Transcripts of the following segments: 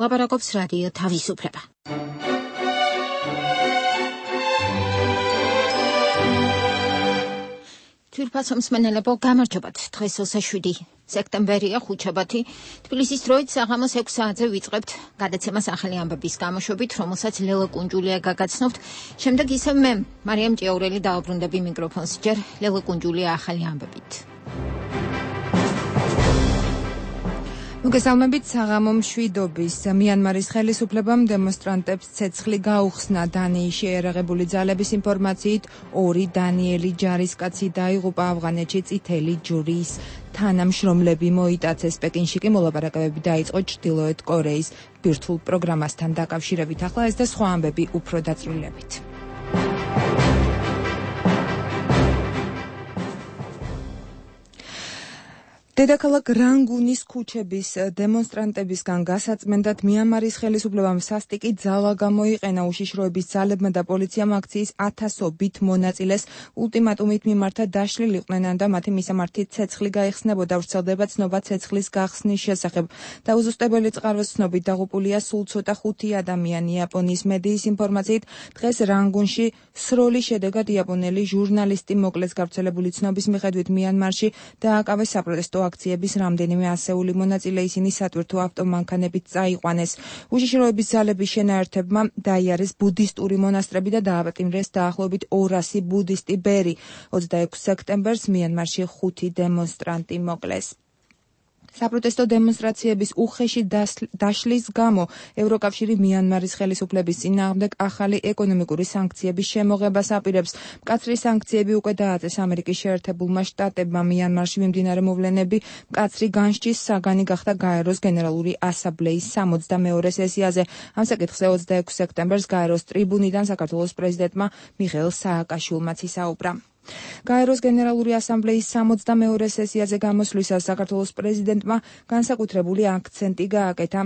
ლაპარაკობს რადიო თავისუფლება. თვირფასო მსმენელებო, გამარჯობათ. დღეს 27 სექტემბერია, ხუთშაბათი. თბილისის დროით საღამოს 6 საათზე ვიწყებთ გადაცემას ახალი ამბების გამოშვებით, რომელსაც ლელა კუნჯულია გაგაცნობთ. შემდეგ ისევ მე, მარიამ ჭიაურელი დაუბრუნდები მიკროფონს. ჯერ ლელა კუნჯულია ახალი ამბებით. მოგესალმებით. საღამო მშვიდობის. მიანმარის ხელისუფლებამ დემონსტრანტებს ცეცხლი გაუხსნა. დანიის შეიარაღებული ძალების ინფორმაციით 2 დანიელი ჯარისკაცი დაიღუპა ავღანეთში წითელი ჯვრის თანამშრომლები მოიტაცეს. პეკინში კი მოლაპარაკებები დაიწყო ჩრდილოეთ კორეის ბირთვულ პროგრამასთან დაკავშირებით. ახლა ეს და სხვა ამბები უფრო დაწვრილებით. დედაქალაქ რანგუნის ქუჩების დემონსტრანტებისგან გასაწმენდად მიანმარის ხელისუფლებამ სასტიკი ძალა გამოიყენა. უშიშროების ძალებმა და პოლიციამ აქციის 1000-ობით მონაწილეს ულტიმატუმით მიმართა დაშლილიყვნენ და მათი მისამართი ცეცხლი გაიხსნებოდა. ვრცელდება ცნობა ცეცხლის გახსნის შესახებ. დაუზუსტებელი წყაროს ცნობით დაღუპულია სულ ცოტა 5 ადამიანი. იაპონიის მედიის ინფორმაციით დღეს რანგუნში სროლის შედეგად იაპონელი ჟურნალისტი მოკლეს. გავრცელებული ცნობის მიხედვით მიანმარში დააკავეს საპროტესტო აქციების რამდენიმე ასეული მონაწილე, ისინი სატვირთო ავტომანქანებით წაიყვანეს. უშიშროების ძალების შენაერთებმა დაიარეს ბუდისტური მონასტრები და დააპატიმრეს დაახლოებით 200 ბუდისტი ბერი. 26 სექტემბერს მიანმარში 5 დემონსტრანტი მოკლეს. საპროტესტო დემონსტრაციების უხეში დაშლის გამო ევროკავშირი მიანმარის ხელისუფლების წინააღმდეგ ახალი ეკონომიკური სანქციების შემოღებას აპირებს. მკაცრი სანქციები უკვე დააწეს ამერიკის შეერთებულმა შტატებმა. მიანმარში მიმდინარე მოვლენები მკაცრი განსჯის საგანი გახდა გაეროს გენერალური ასამბლეის 62 სესიაზე. ამ საკითხზე 26 სექტემბერს გაეროს ტრიბუნიდან საქართველოს პრეზიდენტმა მიხეილ სააკაშვილმაც ისაუბრა. გაეროს გენერალური ასამბლეის 62 სესიაზე გამოსვლისას საქართველოს პრეზიდენტმა განსაკუთრებული აქცენტი გააკეთა.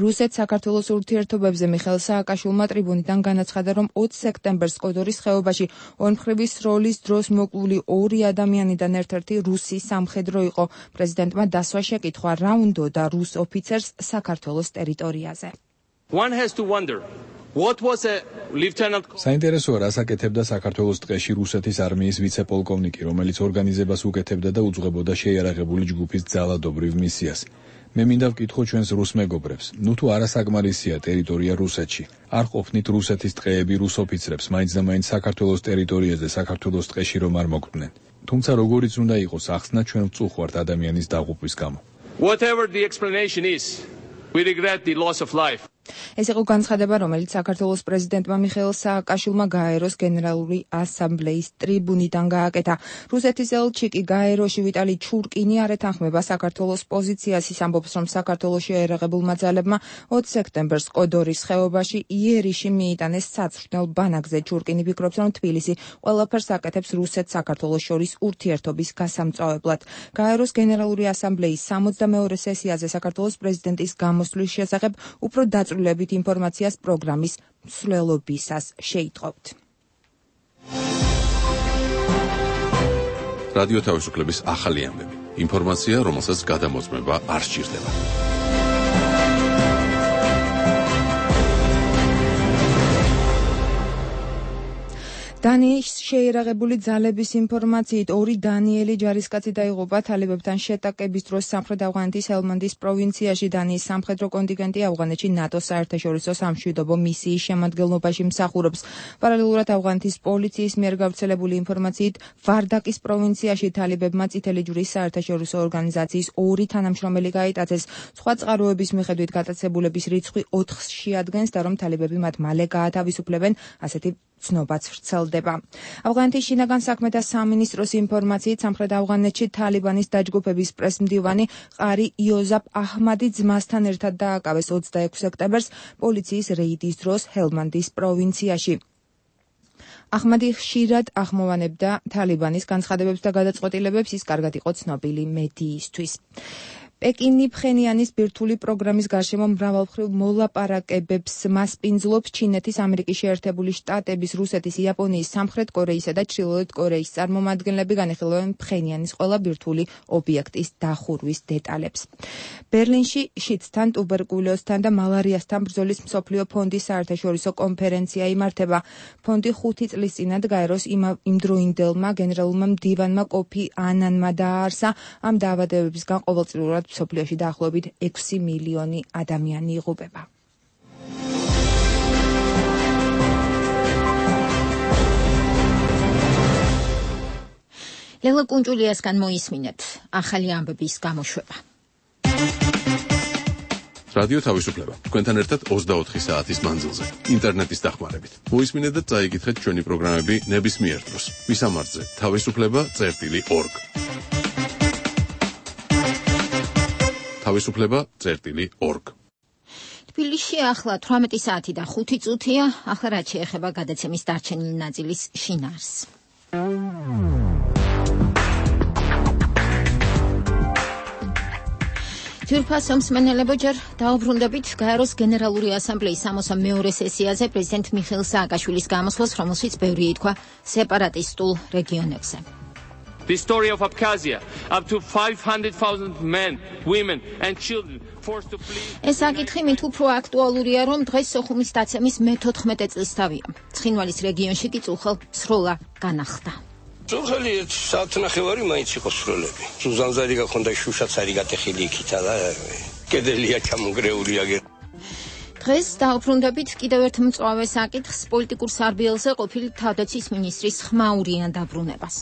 რუსეთ-საქართველოს ურთიერთობებზე მიხეილ სააკაშვილმა ტრიბუნიდან განაცხადა, რომ 20 სექტემბერს კოდორის ხეობაში ორმხრივი სროლის დროს მოკლული 2 ადამიანიდან ერთ-ერთი რუსი სამხედრო იყო. პრეზიდენტმა დასვა შეკითხვა, რა უნდოდა რუს ოფიცერს საქართველოს ტერიტორიაზე. საინტერესოა, რას აკეთებდა საქართველოს ტყეში რუსეთის არმიის ვიცე-პოლკოვნიკი, რომელიც ორგანიზებას უკეთებდა და უძღვებოდა შეიარაღებული ჯგუფის ძალადობრივ მისიას. მე მინდა ვკითხო ჩვენს რუს მეგობრებს, თუ არასაკმარისია ტერიტორია რუსეთში. არ ყოფნით რუსეთის ტყეები რუს ოფიცრებს, მაინც და მაინც საქართველოს ტერიტორიაზე, საქართველოს ტყეში რომ არ მოგყვნენ. თუმცა როგორიც უნდა იყოს ახსნა, ჩვენ ვწუხართ ადამიანის დაღუპვის გამო. Whatever the explanation is, we regret the loss of life. ეს იყო განცხადება, რომელიც საქართველოს პრეზიდენტმა მიხეილ სააკაშვილმა გაეროს გენერალური ასამბლეის ტრიბუნიდან გააკეთა. რუსეთის ელჩი კი გაეროში ვიტალი ჩურკინი არ ეთანხმება საქართველოს პოზიციას. ის ამბობს, რომ საქართველოს შეიარაღებულმა ძალებმა 20 სექტემბერს კოდორის ხეობაში იერიში მიიტანეს საცვრთნელ ბანაკზე. ჩურკინი ფიქრობს, რომ თბილისი ყველაფერს აკეთებს რუსეთ-საქართველოს შორის ურთიერთობის გასამწვავებლად. გაეროს გენერალური ასამბლეის 62 სესიაზე საქართველოს პრეზიდენტის გამოსვლის შესახებ უფრო დაწვრილებით ინფორმაციას პროგრამის მსვლელობისას შეიტყობთ. რადიო თავისუფლების ახალი ამბები. ინფორმაცია, რომელსაც გადამოწმება არ სჭირდება. დანიის შეიარაღებული ძალების ინფორმაციით 2 დანიელი ჯარისკაცი დაიღუპა თალიბებთან შეტაკების დროს სამხრეთ ავღანეთის ჰელმანდის პროვინციაში. დანიის სამხედრო კონტინგენტი ავღანეთში ნატოს საერთაშორისო სამშვიდობო მისიის შემადგენლობაში მსახურობს. პარალელურად ავღანეთის პოლიციის მიერ გავრცელებული ინფორმაციით ვარდაკის პროვინციაში თალიბებმა წითელი ჯვრის საერთაშორისო ორგანიზაციის 2 თანამშრომელი გაიტაცეს. სხვა წყაროების მიხედვით გატაცებულების რიცხვი 4-ს შეადგენს და რომ თალიბები მათ მალე გაათავისუფლებენ, ასეთი ცნობაც ვრცელდება. ავღანეთის შინაგან საქმეთა სამინისტროს ინფორმაციით სამხრეთ ავღანეთში თალიბანის დაჯგუფების პრესმდივანი ყარი იოზაფ აჰმადი ძმასთან ერთად დააკავეს 26 სექტემბერს პოლიციის რეიდის დროს ჰელმანდის პროვინციაში. აჰმადი ხშირად ახმოვანებდა თალიბანის განცხადებებს და გადაწყვეტილებებს, ის კარგად იყო ცნობილი მედიისთვის. პეკინი ფხენიანის ბირთვული პროგრამის გარშემო მრავალმხრივ მოლაპარაკებებს მასპინძლობს ჩინეთის, ამერიკის შეერთებული შტატების, რუსეთის, იაპონიის, სამხრეთ კორეისა და ჩრდილოეთ კორეის წარმომადგენლები განიხილავენ ფხენიანის ყველა ბირთვული ობიექტის დახურვის დეტალებს. ბერლინში შიდსთან, ტუბერკულოზთან და მალარიასთან ბრძოლის მსოფლიო ფონდის საერთაშორისო კონფერენცია იმართება. ფონდი 5 წლის წინათ გაეროს იმდროინდელმა გენერალურმა მდივანმა კოფი ანანმა დააარსა. ამ დაავადებებისგან ყოველწლიურად მსოფლიოში დაახლოებით 6 მილიონი ადამიანი იღუპება. ლელა კუნჭულიასგან მოისმინეთ ახალი ამბების გამოშვება. რადიო თავისუფლება. თქვენთან ერთად 24 საათის მანძილზე, ინტერნეტის დახმარებით. მოისმინეთ და წაიკითხეთ ჩვენი პროგრამები ნებისმიერ დროს. მისამართზე თავისუფლება.org. თავისუფლება.org. თბილისში ახლა 18 საათი და 5 წუთია. ახლა რაც შეეხება გადაცემის დარჩენილი ნაწილის შინაარსს. თურქეთის მსმენელებო ჯერ დაუბრუნდებით გაეროს გენერალური ასამბლეის 62-ე სესიაზე პრეზიდენტ მიხეილ სააკაშვილის გამოსვლას, რომელშიც ბევრი ითქვა სეპარატისტულ რეგიონებზე. The story of Abkhazia, up to 500,000 men, women and children forced to flee. ეს საკითხი მით უფრო აქტუალურია, რომ დღეს სოხუმის დაცემის მე-14 წლისთავია. ცხინვალის რეგიონში კი წუხელ სროლა განახლდა. წუხელი საათნახევარი მაინც იყო სროლები. ზუზანზარი გაქონდა, შუშაც არის გატეხილი იქითა და კედელია ჩამონგრეული აგერ. დღეს დაუბრუნდებით კიდევ ერთ მწვავე საკითხს, პოლიტიკურ სარბიელზე ყოფილი თავდაცვის მინისტრის ხმაურიან დაბრუნებას.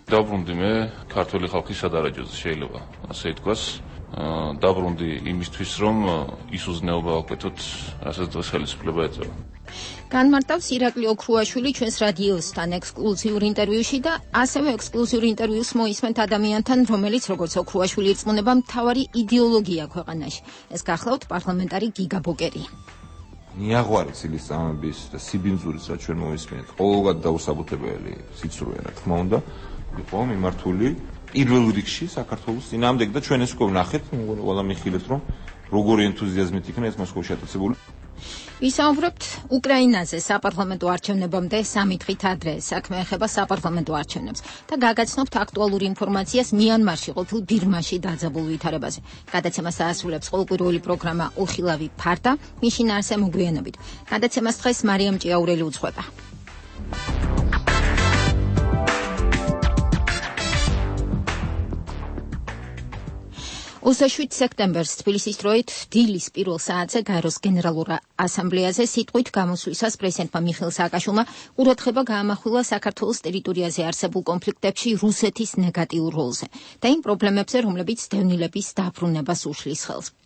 დაბრუნდი მე ქართული ხალხის სადარაჯოზე, შეიძლება ასე ითქვას. დაბრუნდი იმისთვის, რომ ის უზნეობა ვაკეთოთ, რასაც დღეს ხელისუფლება ეწევა. განმარტავს ირაკლი ოქრუაშვილი ჩვენს რადიოსთან ექსკლუზიურ ინტერვიუში და ასევე ექსკლუზიურ ინტერვიუს მოისმენთ ადამიანთან, რომელიც როგორც ოქრუაშვილი ირწმუნება, მთავარი იდეოლოგია ქვეყანაში. ეს გახლავთ პარლამენტარი გიგა ბოკერი. ნიაღვარი ცილისწამების და სიბინძურის რაც ჩვენ მოისმენთ, ყოველგვარ დაუსაბუთებელი სიცრუე, რა თქმა უნდა, იყო მიმართული პირველ რიგში საქართველოს წინააღმდეგ და ჩვენ ეს უკვე ვნახეთ, ყველა მიხილეთ, რომ როგორი ენთუზიაზმით იქნა ეს მოსკოვში ატაცებული. ვისაუბრებთ უკრაინაზე საპარლამენტო არჩევნებამდე 3 დღით ადრე. საქმე ეხება საპარლამენტო არჩევნებს და გაგაცნობთ აქტუალურ ინფორმაციას მიანმარში ყოფილ ბირმაში დაძაბულ ვითარებაზე. გადაცემას აასრულებს ყოველკვირეული პროგრამა უხილავი ფარდა, მის შინაარსზე მოგვიანებით. გადაცემას დღეს მარიამ ჭიაურელი უძღვება. 27 სექტემბერს თბილისის დროით დილის პირველ საათზე გაეროს გენერალურ ასამბლეაზე სიტყვით გამოსვლისას პრეზიდენტმა მიხეილ სააკაშვილმა ყურადღება გაამახვილა საქართველოს ტერიტორიაზე არსებულ კონფლიქტებში რუსეთის ნეგატიურ როლზე და იმ პრობლემებზე, რომლებიც დევნილების დაბრუნებას უშლის ხელს.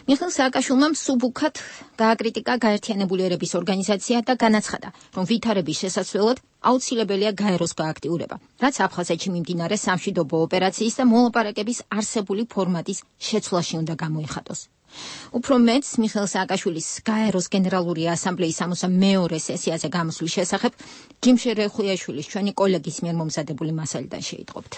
მიხეილ სააკაშვილმა მსუბუქად გააკრიტიკა გაერთიანებული ერების ორგანიზაცია და განაცხადა, რომ ვითარების შესაძლებლად აუცილებელია გაეროს გააქტიურება, რაც აფხაზეთში მიმდინარე სამშვიდობო ოპერაციის და მოლაპარაკების არსებული ფორმატის შეცვლაში უნდა გამოიხატოს. უფრო მეც მიხეილ სააკაშვილის გაეროს გენერალური ასამბლეის 62-ე სესიაზე გამოსვლის შესახებ ჯიმშე რეხუიაშვილის ჩვენი კოლეგის მიერ მომზადებული მასალიდან შეიტყობთ.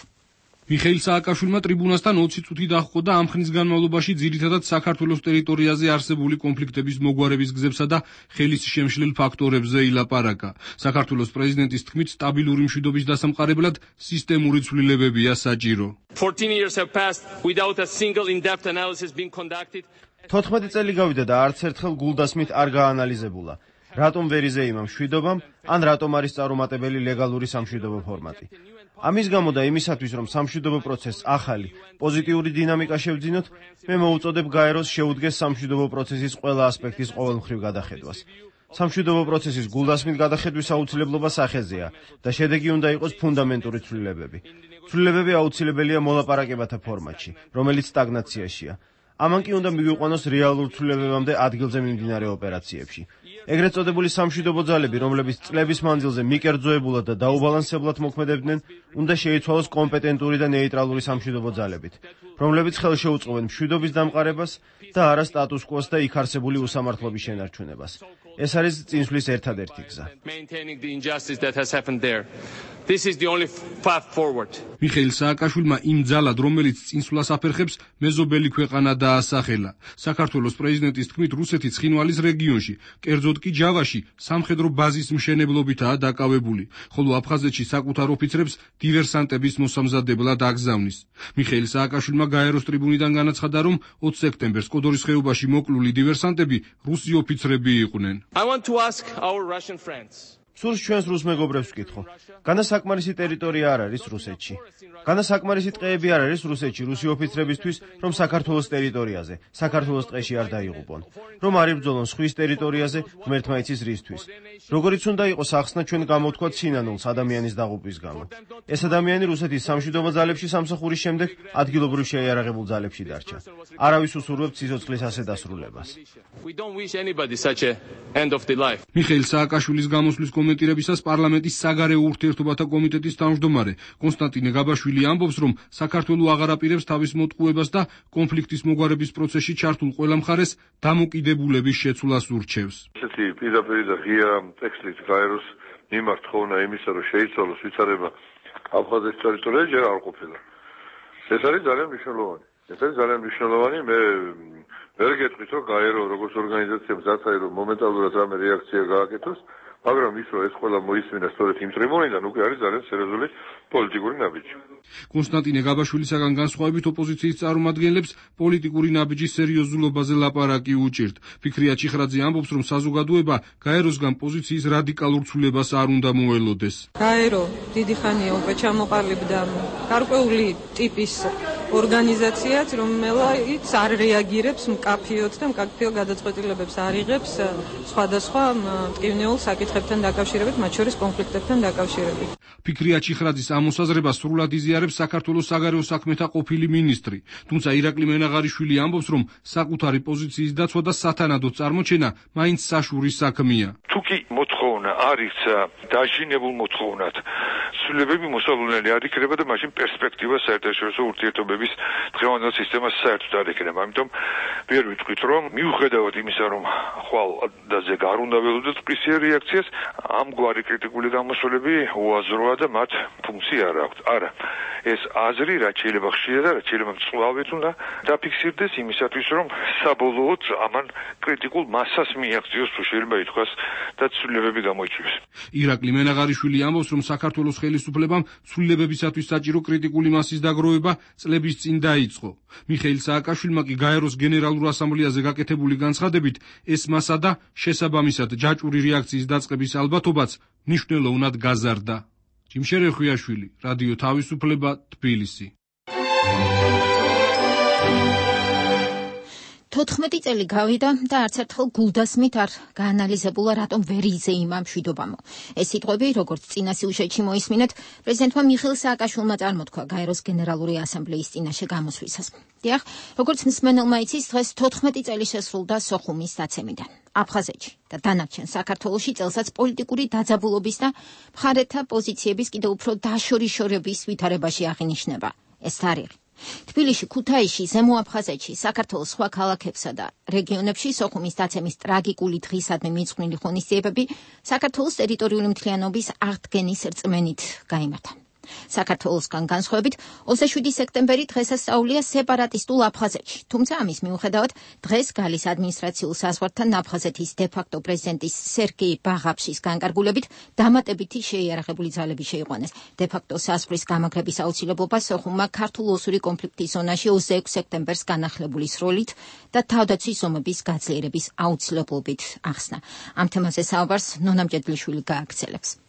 მიხეილ სააკაშვილმა ტრიბუნასთან 20 წუთი დაჰყო და ამ ხნის განმავლობაში ძირითადად საქართველოს ტერიტორიაზე არსებული კონფლიქტების მოგვარების გზებსა და ხელის შემშლელ ფაქტორებზე ილაპარაკა. საქართველოს პრეზიდენტის თქმით, სტაბილური მშვიდობის დასამყარებლად სისტემური ცვლილებებია საჭირო. 14 years have passed without a single in-depth analysis being conducted. 14 წელი გავიდა და არც ერთხელ გულდასმით არ გაანალიზებულა. რატომ ვერ იზეიმა მშვიდობამ, ან რატომ არის წარუმატებელი ლეგალური სამშვიდობო ფორმატი. ამის გამო და იმისათვის, რომ სამშვიდობო პროცესს ახალი, პოზიტიური დინამიკა შევძინოთ, მე მოუწოდებ გაეროს შეუდგეს სამშვიდობო პროცესის ყველა ასპექტის ყოველმხრივ გადახედვას. სამშვიდობო პროცესის გულდასმით გადახედვის აუცილებლობა სახეზეა და შედეგი უნდა იყოს ფუნდამენტური ცვლილებები. ცვლილებები აუცილებელია მოლაპარაკებათა ფორმატში, რომელიც სტაგნაციაშია. ამან კი უნდა მივიყვანოს რეალურ ცვლილებებამდე ადგილზე მიმდინარე ოპერაციებში. ეგრეთ წოდებული სამშვიდობო ძალები, რომლებიც წლების მანძილზე მიკერძოებულად და დაუბალანსებლად მოქმედებდნენ, უნდა შეიცვალოს კომპეტენტური და ნეიტრალური სამშვიდობო ძალებით, რომლებიც ხელშეუწყობენ მშვიდობის დამყარებას და არა სტატუს-კვოს და იქ არსებული უსამართლობის შენარჩუნებას. ეს არის წინსვლის ერთადერთი გზა. This is the only path forward. მიხეილ სააკაშვილმა იმ ძალად, რომელიც წინსვლას აფერხებს, მეზობელი ქვეყანა დაასახელა. საქართველოს პრეზიდენტის თქმით, რუსეთი ცხინვალის რეგიონში, კერძოდ კი ჯავაში, სამხედრო ბაზის მშენებლობითაა დაკავებული, ხოლო აფხაზეთში საკუთარ ოფიცრებს დივერსანტების მოსამზადებლად აგზავნის. მიხეილ სააკაშვილმა გაეროს ტრიბუნიდან განაცხადა, რომ 20 სექტემბერს კოდორის ხეობაში მოკლული დივერსანტები რუსი ოფიცრები იყვნენ. I want to ask our Russian friends. სურს ჩვენს რუს მეგობრებს ვკითხო. განასაკმარისი ტერიტორია არ არის რუსეთში. განასაკმარისი ტყეები არ არის რუსეთში რუსი ოფიცრებისთვის, რომ საქართველოს ტერიტორიაზე, საქართველოს ტყეში არ დაიღუპონ. რომ არ იბრძოლონ სხვის ტერიტორიაზე, ღმერთმა იცის რისთვის. როგორიც უნდა იყოს ახსნა ჩვენ გამოვთქვათ სინანულს ადამიანის დაღუპვის გამო. ეს ადამიანი რუსეთის სამშვიდობო ძალებში სამსახურის შემდეგ ადგილობრივ შეიარაღებულ ძალებში დარჩა. არავის უსურვებთ სიცოცხლის ასე დასრულებას. მიხეილ სააკაშვილის გამოსვლის კომენტირებისას პარლამენტის საგარეო ურთიერთობათა კომიტეტის თავმჯდომარე კონსტანტინე გაბაშვილი ამბობს, რომ საქართველო აღარ აპირებს თავის მოტყუებას და კონფლიქტის მოგვარების პროცესში ჩართულ ყველა მხარეს დამოკიდებულების შეცვლას ურჩევს. ესეთი პირდაპირ და ღია ტექსტით გაეროს მიმართ ხოვნა იმისა, რომ შეიცვალოს ვითარება აფხაზეთის ტერიტორიაზე ჯერ არ ყოფილა. ეს არის ძალიან მნიშვნელოვანი. მე ვერ გეტყვით, რომ გაერო როგორც ორგანიზაციამ ზათაი რომ მომენტალურად რამე რეაქცია გააკეთოს, მაგრამ ის რომ ეს ყველა მოისმინა სწორედ იმ ტრიბუნიდან უკვე არის ძალიან სერიოზული პოლიტიკური ნაბიჯი. კონსტანტინე გაბაშვილისაგან განსხვავებით ოპოზიციის წარმომადგენლებს პოლიტიკური ნაბიჯის სერიოზულობაზე ლაპარაკი უჭირთ. ფიქრია ჩიხრაძე ამბობს, რომ საზოგადოება გაეროსგან პოზიციის რადიკალურ ცვლილებას არ უნდა მოელოდეს. გაერო დიდი ხანია უკვე ჩამოყალიბდა გარკვეული ტიპის ორგანიზაციაც, რომელიც არ რეაგირებს მკაფიოდ და მკაფიო გადაწყვეტილებებს არ იღებს სხვადასხვა მტკივნეულ საკითხებთან დაკავშირებით, მათ შორის კონფლიქტებთან დაკავშირებით. ფიქრია ჩიხრაძის ამ მოსაზრებას სრულად იზიარებს საქართველოს საგარეო საქმეთა ყოფილი მინისტრი. თუმცა ირაკლი მენაღარიშვილი ამბობს, რომ საკუთარი პოზიციის დაცვა და სათანადო წარმოჩენა მაინც საშურის საქმეა. თუკი მოთხოვნა არის დაჟინებულ მოთხოვნად, ცვლილებები მოსალოდნელი არ იქნება და მაშინ პერსპექტივა საერთაშორისო ურთიერთობების დღევანდელ სისტემას საერთოდ არ იქნება. ამიტომ ვერ ვიტყვით, რომ მიუხედავად იმისა, რომ ხვალ დაზე არ უნდა ველოდოთ პრისიერ რეაქციას, ამგვარი კრიტიკული გამოსვლები უაზროა და მათ ფუნქცია არ აქვთ. არა, ეს აზრი რაც შეიძლება ხშირად და რაც შეიძლება მწვავედ უნდა დაფიქსირდეს იმისათვის, რომ საბოლოოდ ამან კრიტიკულ მასას მიაღწიოს, თუ შეიძლება ითქვას, და ცვლილებები გამოიწვიოს. ირაკლი მენაღარიშვილი ამბობს, რომ საქართველოს ხელისუფლებამ ცვლილებებისათვის საჭირო კრიტიკული მასის დაგროვება წლების წინ დაიწყო. მიხეილ სააკაშვილმა კი გაეროს გენერალურ ასამბლეაზე გაკეთებული განცხადებით ეს მასა და შესაბამისად ჯაჭვური რეაქციის დაწყების ალბათობაც მნიშვნელოვნად გაზარდა. ჯიმშერე ხვიაშვილი, რადიო თავისუფლება, თბილისი. 14 წელი გავიდა და არც ერთხელ გულდასმით არ გაანალიზებულა, რატომ ვერ იზეიმა მშვიდობამო. ეს სიტყვები, როგორც წინა სიუჟეტში მოისმინეთ, პრეზიდენტმა მიხეილ სააკაშვილმა წარმოთქვა გაეროს გენერალური ასამბლეის წინაშე გამოსვლისას. დიახ, როგორც მსმენელმა იცის, დღეს 14 წელი შესრულდა სოხუმის დაცემიდან. აფხაზეთში და დანარჩენ საქართველოში წელსაც პოლიტიკური დაძაბულობის და მხარეთა პოზიციების კიდევ უფრო დაშორიშორების ვითარებაში აღინიშნება ეს თარიღი. თბილისში, ქუთაისში, ზემო აფხაზეთში, საქართველოს სხვა ქალაქებსა და რეგიონებში სოხუმის დაცემის ტრაგიკული დღისადმი მიძღვნილი ღონისძიებები საქართველოს ტერიტორიული მთლიანობის აღდგენის რწმენით გაიმართა. საქართველოსგან განსხვავებით 27 სექტემბერი დღესასწაულია სეპარატისტულ აფხაზეთში, თუმცა ამის მიუხედავად დღეს გალის ადმინისტრაციულ საზღვართან აფხაზეთის დე-ფაქტო პრეზიდენტის სერგეი ბაღაფშის განკარგულებით დამატებითი შეიარაღებული ძალები შეიყვანეს. დე-ფაქტო საზღვრის გამაგრების აუცილებლობა სოხუმმა ქართულ-ოსური კონფლიქტის ზონაში 26 სექტემბერს განახლებული სროლით და თავდაცვის ომების გაძლიერების აუცილებლობით ახსნა. ამ თემაზე საუბარს ნონა მჭედლიშვილი გააგრძელებს.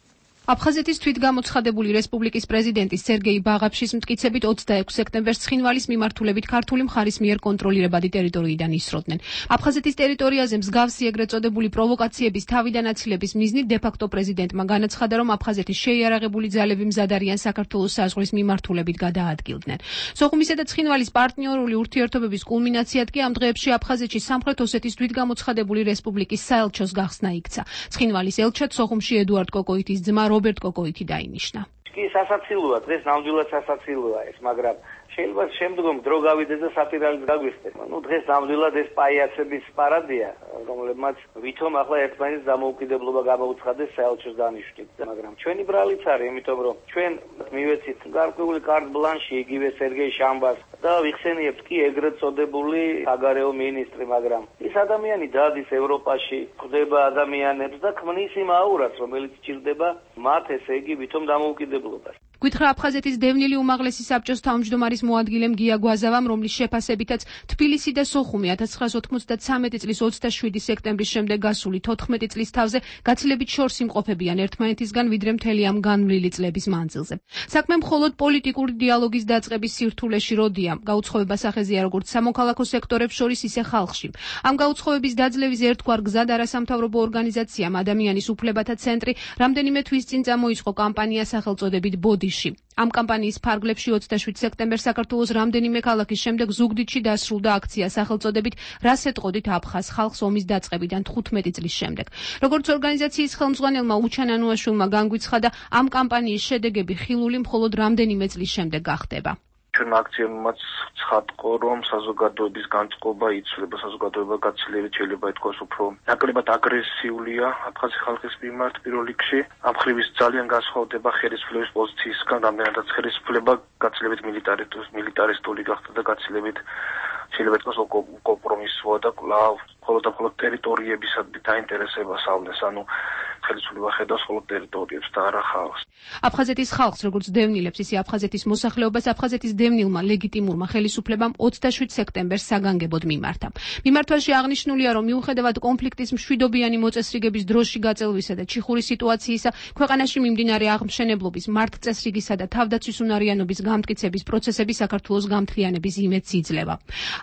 აფხაზეთის თვითგამოცხადებული რესპუბლიკის პრეზიდენტის სერგეი ბაღაფშის მტკიცებით 26 სექტემბერს ცხინვალის მიმართულებით ქართული მხარის მიერ კონტროლირებადი ტერიტორიიდან ისროდნენ. აფხაზეთის ტერიტორიაზე მსგავსი ეგრეთ წოდებული პროვოკაციების თავიდან აცილების მიზნით დე-ფაქტო პრეზიდენტმა განაცხადა, რომ აფხაზეთის შეიარაღებული ძალები მზად არიან საქართველოს საზღვრის მიმართულებით გადაადგილდნენ. სოხუმისა და ცხინვალის პარტნიორული ურთიერთობების კულმინაციად კი ამ დღეებში აფხაზეთში სამხრეთ ოსეთის თვითგამოცხადებული რესპუბლიკის საელჩოს გახსნა იქცა. ცხინვალის ელჩად სოხუმში ედუარდ კოკოითის ძმა რობერტ კოკოითი დაინიშნა. კი სასაცილოა, დღეს ნამდვილად სასაცილოა ეს, მაგრამ შეიძლება შემდგომ დრო გავიდეს და საპირალით გაგვიხდეს. დღეს ნამდვილად ეს პაიაცების პარადია, რომლებმაც ვითომ ახლა ერთმანეთის დამოუკიდებლობა გამოუცხადეს საელჩოს დანიშვნით. მაგრამ ჩვენი ბრალიც არის, იმიტომ რომ ჩვენ მივეცით გარკვეული კარტ ბლანში იგივე სერგეი შამბას და ვიხსენიებთ კი ეგრეთ წოდებული საგარეო მინისტრი, მაგრამ ის ადამიანი დადის ევროპაში, ხვდება ადამიანებს და ქმნის იმ აურას, რომელიც ჭირდება მათ, ესე იგი, ვითომ დამოუკიდებლობას. გითხრა აფხაზეთის დევნილი უმაღლესი საბჭოს თავმჯდომარის მოადგილემ გია გვაზავამ, რომლის შეფასებითაც თბილისი და სოხუმი 1993 წლის 27 სექტემბრის შემდეგ გასული 14 წლის თავზე გაცილებით შორს იმყოფებიან ერთმანეთისგან, ვიდრე მთელი ამ განვლილი წლების მანძილზე. საქმე მხოლოდ პოლიტიკური დიალოგის დაწყების სირთულეში როდია, გაუცხოება სახეზეა როგორც სამოქალაქო სექტორებს შორის, ისე ხალხში. ამ გაუცხოების დაძლევის ერთგვარ გზად არასამთავრობო ორგანიზაციამ ადამიანის უფლებათა ცენტრი რამდენიმე თვის წინ წამოიწყო კამპანია სახელწოდებით ბოდი. ამ კამპანიის ფარგლებში 27 სექტემბერს საქართველოს რამდენიმე ქალაქის შემდეგ ზუგდიდში დასრულდა აქცია სახელწოდებით „რას ეტყოდით აფხაზ ხალხს ომის დაწყებიდან 15 წლის შემდეგ“. როგორც ორგანიზაციის ხელმძღვანელმა უჩან ანუაშვილმა განგვიცხადა, ამ კამპანიის შედეგები ხილული მხოლოდ რამდენიმე წლის შემდეგ გახდება. ჩვენ აქციებმაც ცხადყო, რომ საზოგადოების განწყობა იცვლება, საზოგადოება გაცილებით შეიძლება ითქვას უფრო ნაკლებად აგრესიულია აფხაზი ხალხის მიმართ პირველ რიგში. ამ ხრივის ძალიან განსხვავდება ხელისუფლების პოზიციისგან, რამდენადაც ხელისუფლება გაცილებით მილიტარისტული გახდა და გაცილებით შეიძლება ითქვას კომპრომისოა და კვლავ მხოლოდ ტერიტორიების დაინტერესებას ავნეს, ანუ ხელისუფლება ხედავს მხოლოდ ტერიტორიებს და არა ხალხს. აფხაზეთის ხალხს, როგორც დევნილებს, ისე აფხაზეთის მოსახლეობას აფხაზეთის დევნილმა ლეგიტიმურმა ხელისუფლებამ 27 სექტემბერს საგანგებოდ მიმართა. მიმართვაში აღნიშნულია, რომ მიუხედავად კონფლიქტის მშვიდობიანი მოწესრიგების დროში გაწელვისა და ჩიხური სიტუაციისა, ქვეყანაში მიმდინარე აღმშენებლობის, მართლწესრიგისა და თავდაცვის უნარიანობის გამტკიცების პროცესები საქართველოს გამთლიანების იმედს იძლევა.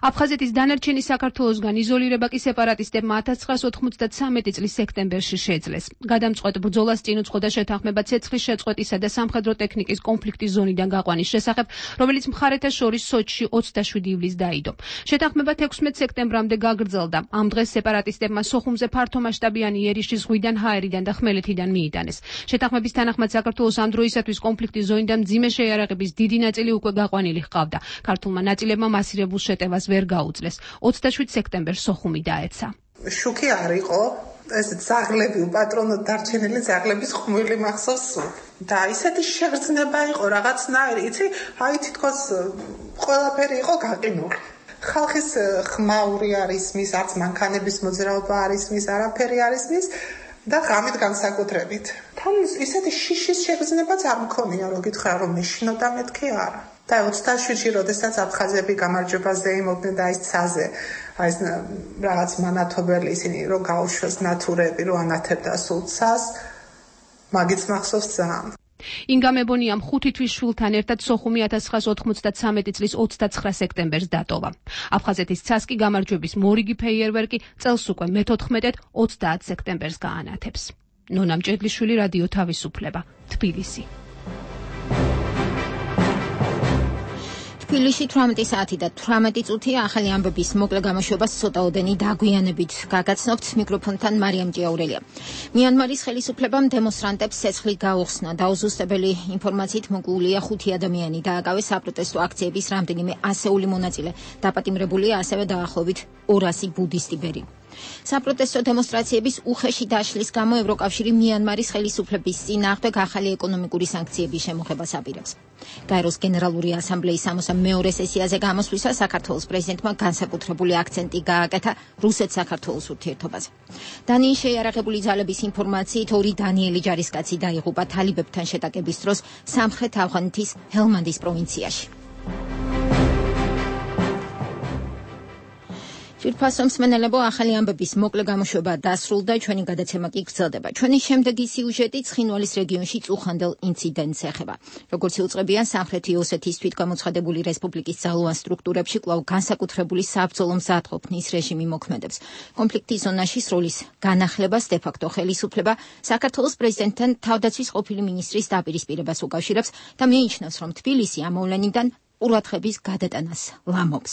აფხაზეთის დანარჩენი საქართველოსგან იზოლირება კი სეპარატისტებმა 1993 წლის სექტემბერში შეძლეს. გადამწყვეტ ბრძოლას წინ უძღოდა შეთანხმება ცეცხლის შეწყვეტისა და სამხედრო ტექნიკის კონფლიქტის ზონიდან გაყვანის შესახებ, რომელიც მხარეთა შორის სოჭში 27 ივლისს დაიდო. შეთანხმება 16 სექტემბრამდე გაგრძელდა. ამ დღეს სეპარატისტებმა სოხუმზე ფართომასშტაბიანი იერიში ზღვიდან, ჰაერიდან და ხმელეთიდან მიიტანეს. შეთანხმების თანახმად საქართველოს ამ დროისათვის კონფლიქტის ზონიდან მძიმე შეიარაღების დიდი ნაწილი უკვე გაყვანილი ჰყავდა. ქართულმა ნაწილებმა მასირებულ შეტევას ვერ გაუძლეს. 27 სექტემბერს სოხუმი დაეცა. შუქი არ იყო ეს ძაღლები, უპატრონოდ დარჩენილი ძაღლების ხმული მახსოვს და ისეთი შეგრძნება იყო რაღაცნაირი, იცი, აი თითქოს ყველაფერი იყო გაყინული. ხალხის ხმაური არის მის, არც მანქანების მოძრაობა არის მის, არაფერი არის მის და ღამით განსაკუთრებით. თან ისეთი შიშის შეგრძნებაც არ მქონია, რო გითხრა რომ მეშინოდა მეთქი არა. და 27-ში, როდესაც აფხაზები გამარჯვებაზე იმოდნენ და ის ცაზე, აი რაღაც მანათობელი ისინი რომ გაუშვეს ნათურები, რომ ანათებდა სულ ცას, მაგიც მახსოვს ძალიან. ინგამებონიამ 5 თვის შვილთან ერთად სოხუმი 1993 წლის 29 სექტემბერს დატოვა. აფხაზეთის ცას კი გამარჯვების მორიგი ფეიერვერკი წელს უკვე მე-14 30 სექტემბერს გაანათებს. ნონა მჭედლიშვილი, რადიო თავისუფლება, თბილისი. თბილისში 18 საათი და 18 წუთია. ახალი ამბების მოკლე გამოშვებას ცოტაოდენი დაგვიანებით გაგაცნობთ. მიკროფონთან მარიამ ჭიაურელია. მიანმარის ხელისუფლებამ დემონსტრანტებს ცეცხლი გაუხსნა. დაუზუსტებელი ინფორმაციით მოკლულია 5 ადამიანი დააკავეს საპროტესტო აქციების რამდენიმე ასეული მონაწილე. დაპატიმრებულია ასევე დაახლოებით 200 ბუდისტი. საპროტესტო დემონსტრაციების უხეში დაშლის გამო ევროკავშირი მიანმარის ხელისუფლების წინააღმდეგ ახალი ეკონომიკური სანქციების შემოღებას აპირებს. გაეროს გენერალური ასამბლეის 62 სესიაზე გამოსვლისას საქართველოს პრეზიდენტმა განსაკუთრებული აქცენტი გააკეთა რუსეთ-საქართველოს ურთიერთობაზე. დანიის შეიარაღებული ძალების ინფორმაციით 2 დანიელი ჯარისკაცი დაიღუპა თალიბებთან შეტაკების დროს სამხრეთ ავღანეთის ჰელმანდის პროვინციაში. ძვირფასო მსმენელებო, ახალი ამბების მოკლე გამოშვება დასრულდა, ჩვენი გადაცემა კი გრძელდება. ჩვენი შემდეგი სიუჟეტი ცხინვალის რეგიონში წუხანდელ ინციდენტს ეხება. როგორც იუწყებიან სამხრეთი ოსეთის თვითგამოცხადებული რესპუბლიკის ძალოვან სტრუქტურებში კვლავ განსაკუთრებული საბრძოლო მზადყოფნის რეჟიმი მოქმედებს. კონფლიქტის ზონაში სროლის განახლებას დე-ფაქტო ხელისუფლება საქართველოს პრეზიდენტთან თავდაცვის ყოფილი მინისტრის დაპირისპირებას უკავშირებს და მიიჩნევს, რომ თბილისი ამ მოვლენიდან ყურადღების გადატანას ლამობს.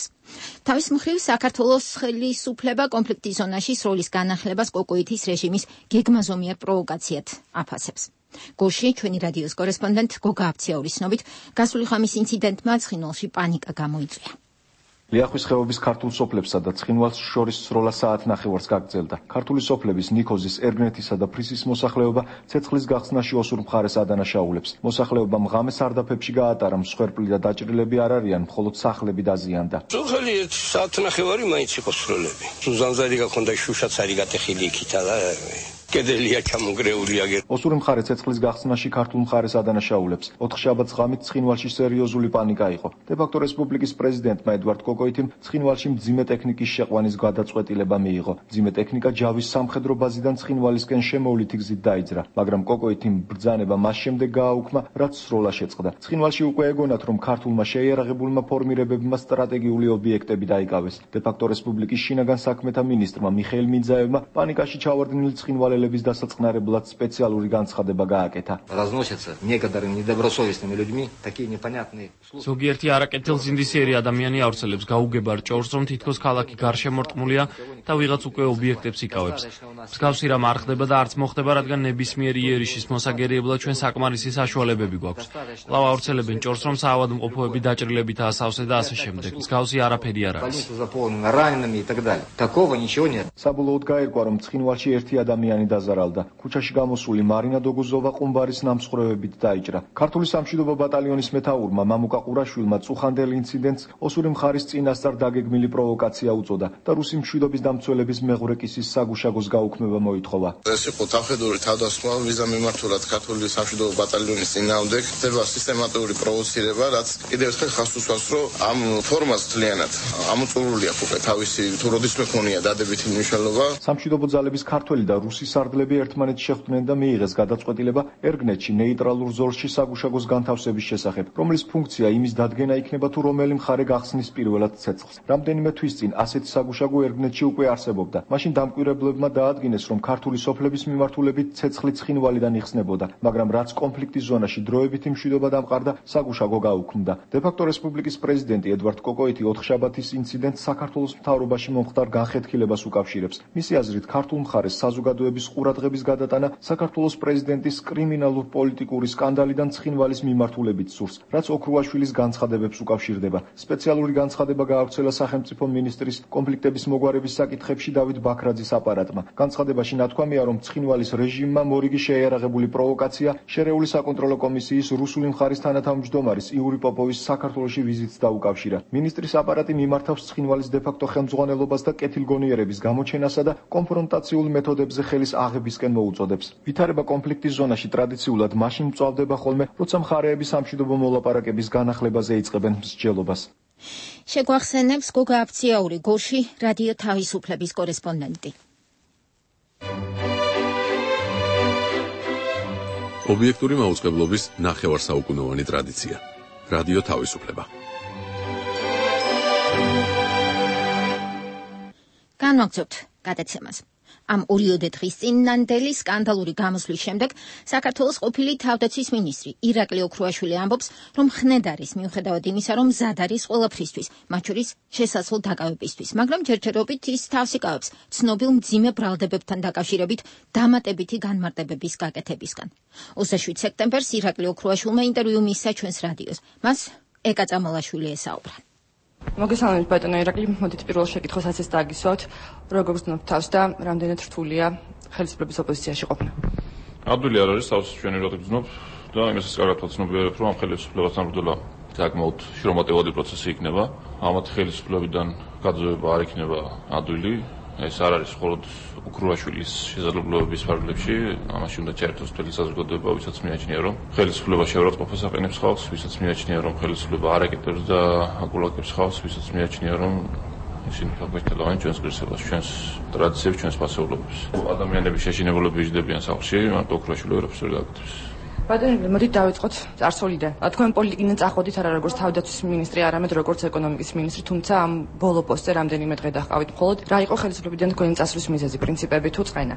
თავის მხრივ საქართველოს ხელისუფლება კონფლიქტის ზონაში სროლის განახლებას კოკოითის რეჟიმის გეგმაზომიერ პროვოკაციად აფასებს. გოში ჩვენი რადიოს კორესპონდენტ გოგა აფციაურის ცნობით, გასული ხამის ინციდენტმა ცხინვალში პანიკა გამოიწვია. ლიახვის ხეობის ქართულ სოფლებსა და ცხინვალს შორის სროლა საათნახევარს გაგრძელდა. ქართული სოფლების ნიქოზის, ერგნეთისა და ფრისის მოსახლეობა ცეცხლის გახსნაში ოსურ მხარეს ადანაშაულებს. მოსახლეობამ ღამე სარდაფებში გაატარა, მსხვერპლი და დაჭრილები არ არიან, მხოლოდ სახლები დაზიანდა. სოფელი საათნახევარი მაინც იყო სროლები. ზამზადი გაქონდა, შუშაც არის გატეხილი იქითა და კედელია ჩამონგრეული აგერ. ოსური მხარე ცეცხლის გახსნაში ქართულ მხარეს ადანაშაულებს. 4 შაბათს ღამით ცხინვალში სერიოზული პანიკა იყო. დე-ფაქტო რესპუბლიკის პრეზიდენტმა ედვარდ კოკოითიმ ცხინვალში მძიმე ტექნიკის შეყვანის გადაწყვეტილება მიიღო. მძიმე ტექნიკა ჯავის სამხედრო ბაზიდან ცხინვალისკენ შემოვლითი გზით დაიძრა, მაგრამ კოკოითიმ ბრძანება მას შემდეგ გააუქმა, რაც სროლა შეწყდა. ცხინვალში უკვე ეგონათ, რომ ქართულმა შეიარაღებულმა ფორმირებებმა სტრატეგიული ობიექტები დაიკავეს. დე-ფაქტო რესპუბლიკის შინაგან საქმეთა მინისტრმა მიხეილ მინძაევმა პანიკაში ჩავარდნილი ცხინვალელების დასაწყნარებლად სპეციალური განცხადება გააკეთა. Разносятся некоторыми недобросовестными людьми такие непонятные слухи. ზოგიერთი არაკეთილზინდისიერი ადამიანი ავრცელებს გაუგებარ ჭორს, რომ თითქოს ქალაქი გარშემორტყმულია და ვიღაც უკვე ობიექტებს იკავებს. მსგავსი რამ არ ხდება და არც მოხდება, რადგან ნებისმიერი იერიშის მოსაგერიებლად ჩვენ საკმარისი საშუალებები გვაქვს. კვლავ ავრცელებენ ჭორს, რომ საავადმყოფოები დაჭრილებით ასავსე და ასე შემდეგ. მსგავსი არაფერი არ არის. საბოლოოდ გაირკვა, რომ ცხინვალში ერთი ადამიანი დაზარალდა. ქუჩაში გამოსული მარინა დოგუზოვა ყუმბარის ნამსხვრევებით დაიჭრა. ქართული სამშვიდობო ბატალიონის მეთაურმა მამუკა ყურაშვილმა წუხანდელ ინციდენტს ოსური მხარის წინასწარ დაგეგმილი პროვოკაცია უწოდა და რუსი მშვიდობის დამცველების მეღვრეკისის საგუშაგოს გაუქმება მოითხოვა. ეს იყო თავხედური თავდასხმა ვიზა მიმართულად ქართული სამშვიდობო ბატალიონის წინააღმდეგ ხდება სისტემატიური პროვოცირება, რაც კიდევ ერთხელ ხაზს უსვამს, რომ ამ ფორმას ძალიანად ამოწურული აქვს უკვე თავისი თუ როდისმე ქონია დადებითი მნიშვნელობა. სამშვიდობო ძალების ქართველი და რუსი სარდლები ერთმანეთს შეხვდნენ და მიიღეს გადაწყვეტილება ერგნეთში ნეიტრალურ ზოლში საგუშაგოს განთავსების შესახებ, რომლის ფუნქცია იმის დადგენა იქნება, თუ რომელი მხარე გახსნის პირველად ცეცხლს. რამდენიმე თვის წინ ასეთი საგუშაგო ერგნეთში უკვე არსებობდა. მაშინ დამკვირვებლებმა დაადგინეს, რომ ქართული სოფლების მიმართულებით ცეცხლი ცხინვალიდან იხსნებოდა, მაგრამ რაც კონფლიქტის ზონაში დროებითი მშვიდობა დამყარდა, საგუშაგო გაუქმდა. დე-ფაქტო რესპუბლიკის პრეზიდენტი ედვარდ კოკოითი 4 შაბათის ინციდენტს საქართველოს მთავრობაში მომხდარ განხეთქილებას უკავშირებს. მისი აზრით, ქართულ მხარეს საზოგადოების ყურადღების გადატანა საქართველოს პრეზიდენტის კრიმინალურ-პოლიტიკური სკანდალიდან ცხინვალის მიმართულებით სურს, რაც ოქრუაშვილის განცხადებებს უკავშირდება. სპეციალური განცხადება გაავრცელა სახელმწიფო მინისტრის კონფლიქტების მოგვარების საკითხებში დავით ბაქრაძის აპარატმა. განცხადებაში ნათქვამია, რომ ცხინვალის რეჟიმმა მორიგი შეიარაღებული პროვოკაცია შერეული საკონტროლო კომისიის რუსული მხარის თანათავმჯდომარის იური პოპოვის საქართველოში ვიზიტს დაუკავშირა. მინისტრის აპარატი მიმართავს ცხინვალის დე-ფაქტო ხელმძღვანელობას და კეთილგონიერების გამოჩენასა და კონფრონტაციულ მეთოდებზე ხელის აღებისკენ მოუწოდებს. ვითარება კონფლიქტის ზონაში ტრადიციულად მაშინ მწვავდება ხოლმე, როცა მხარეები სამშვიდობო მოლაპარაკების განახლებაზე იწყებენ მსჯელობას. შეგვახსენებს გოგა აფციაური, გოში რადიო თავისუფლების კორესპონდენტი. ობიექტური მაუწყებლობის ნახევარსაუკუნოვანი ტრადიცია. რადიო თავისუფლება. განვაგრძობთ გადაცემას. ამ ორიოდე დღის წინ ნანდელი სკანდალური გამოსვლის შემდეგ საქართველოს ყოფილი თავდაცვის მინისტრი ირაკლი ოქრუაშვილი ამბობს, რომ ხნედ არის მიუხედავად იმისა, რომ მზად არის ყველაფრისთვის, მათ შორის შესაძლო დაკავებისთვის, მაგრამ ჯერჯერობით ის თავს იკავებს ცნობილ მძიმე ბრალდებებთან დაკავშირებით დამატებითი განმარტებების გაკეთებისგან. 27 სექტემბერს ირაკლი ოქრუაშვილმა ინტერვიუ მისცა ჩვენს რადიოს. მას ეკა წამალაშვილი ესაუბრა. მოგესალმებით ბატონო ირაკლი, მოდით პირველ შეკითხვასაც ეს დააგისვათ. როგორ გრძნობთ თავს და რამდენად რთულია ხელისუფლების ოპოზიციაში ყოფნა? ადვილი არ არის, თავს ჩვენ ირაკლი გრძნობ და იმასაც კარგად ვაცნობიერებ, რომ ამ ხელისუფლებასთან ბრძოლა საკმაოდ შრომატევადი პროცესი იქნება. ამათ ხელისუფლებიდან გაძევება არ იქნება ადვილი. ეს არ არის მხოლოდ ოქრუაშვილის შესაძლებლობების ფარგლებში, ამაში უნდა ჩაერთოს მთელი საზოგადოება, ვისაც მიაჩნია, რომ ხელისუფლება შეურაცხყოფას აყენებს ხალხს, ვისაც მიაჩნია, რომ ხელისუფლება არ ეკეთებს და აგულაკებს ხალხს, ვისაც მიაჩნია, რომ ისინი ხალხმეჭდავენ ჩვენს ღირსებას, ჩვენს ტრადიციებს, ჩვენს ფასეულობებს. ადამიანების შეშინებულები იჯდებიან სახლში, მარტო ოქრუაშვილი ვერაფერს ვერ გაკეთებს. ბატონო, მოდით დავიწყოთ წარსულიდან. თქვენ პოლიტიკიდან წახვედით არა როგორც თავდაცვის მინისტრი, არამედ როგორც ეკონომიკის მინისტრი, თუმცა ამ ბოლო პოსტზე რამდენიმე დღე დაჰყავით მხოლოდ. რა იყო ხელისუფლებიდან თქვენი წასვლის მიზეზი, პრინციპები თუ წყენა?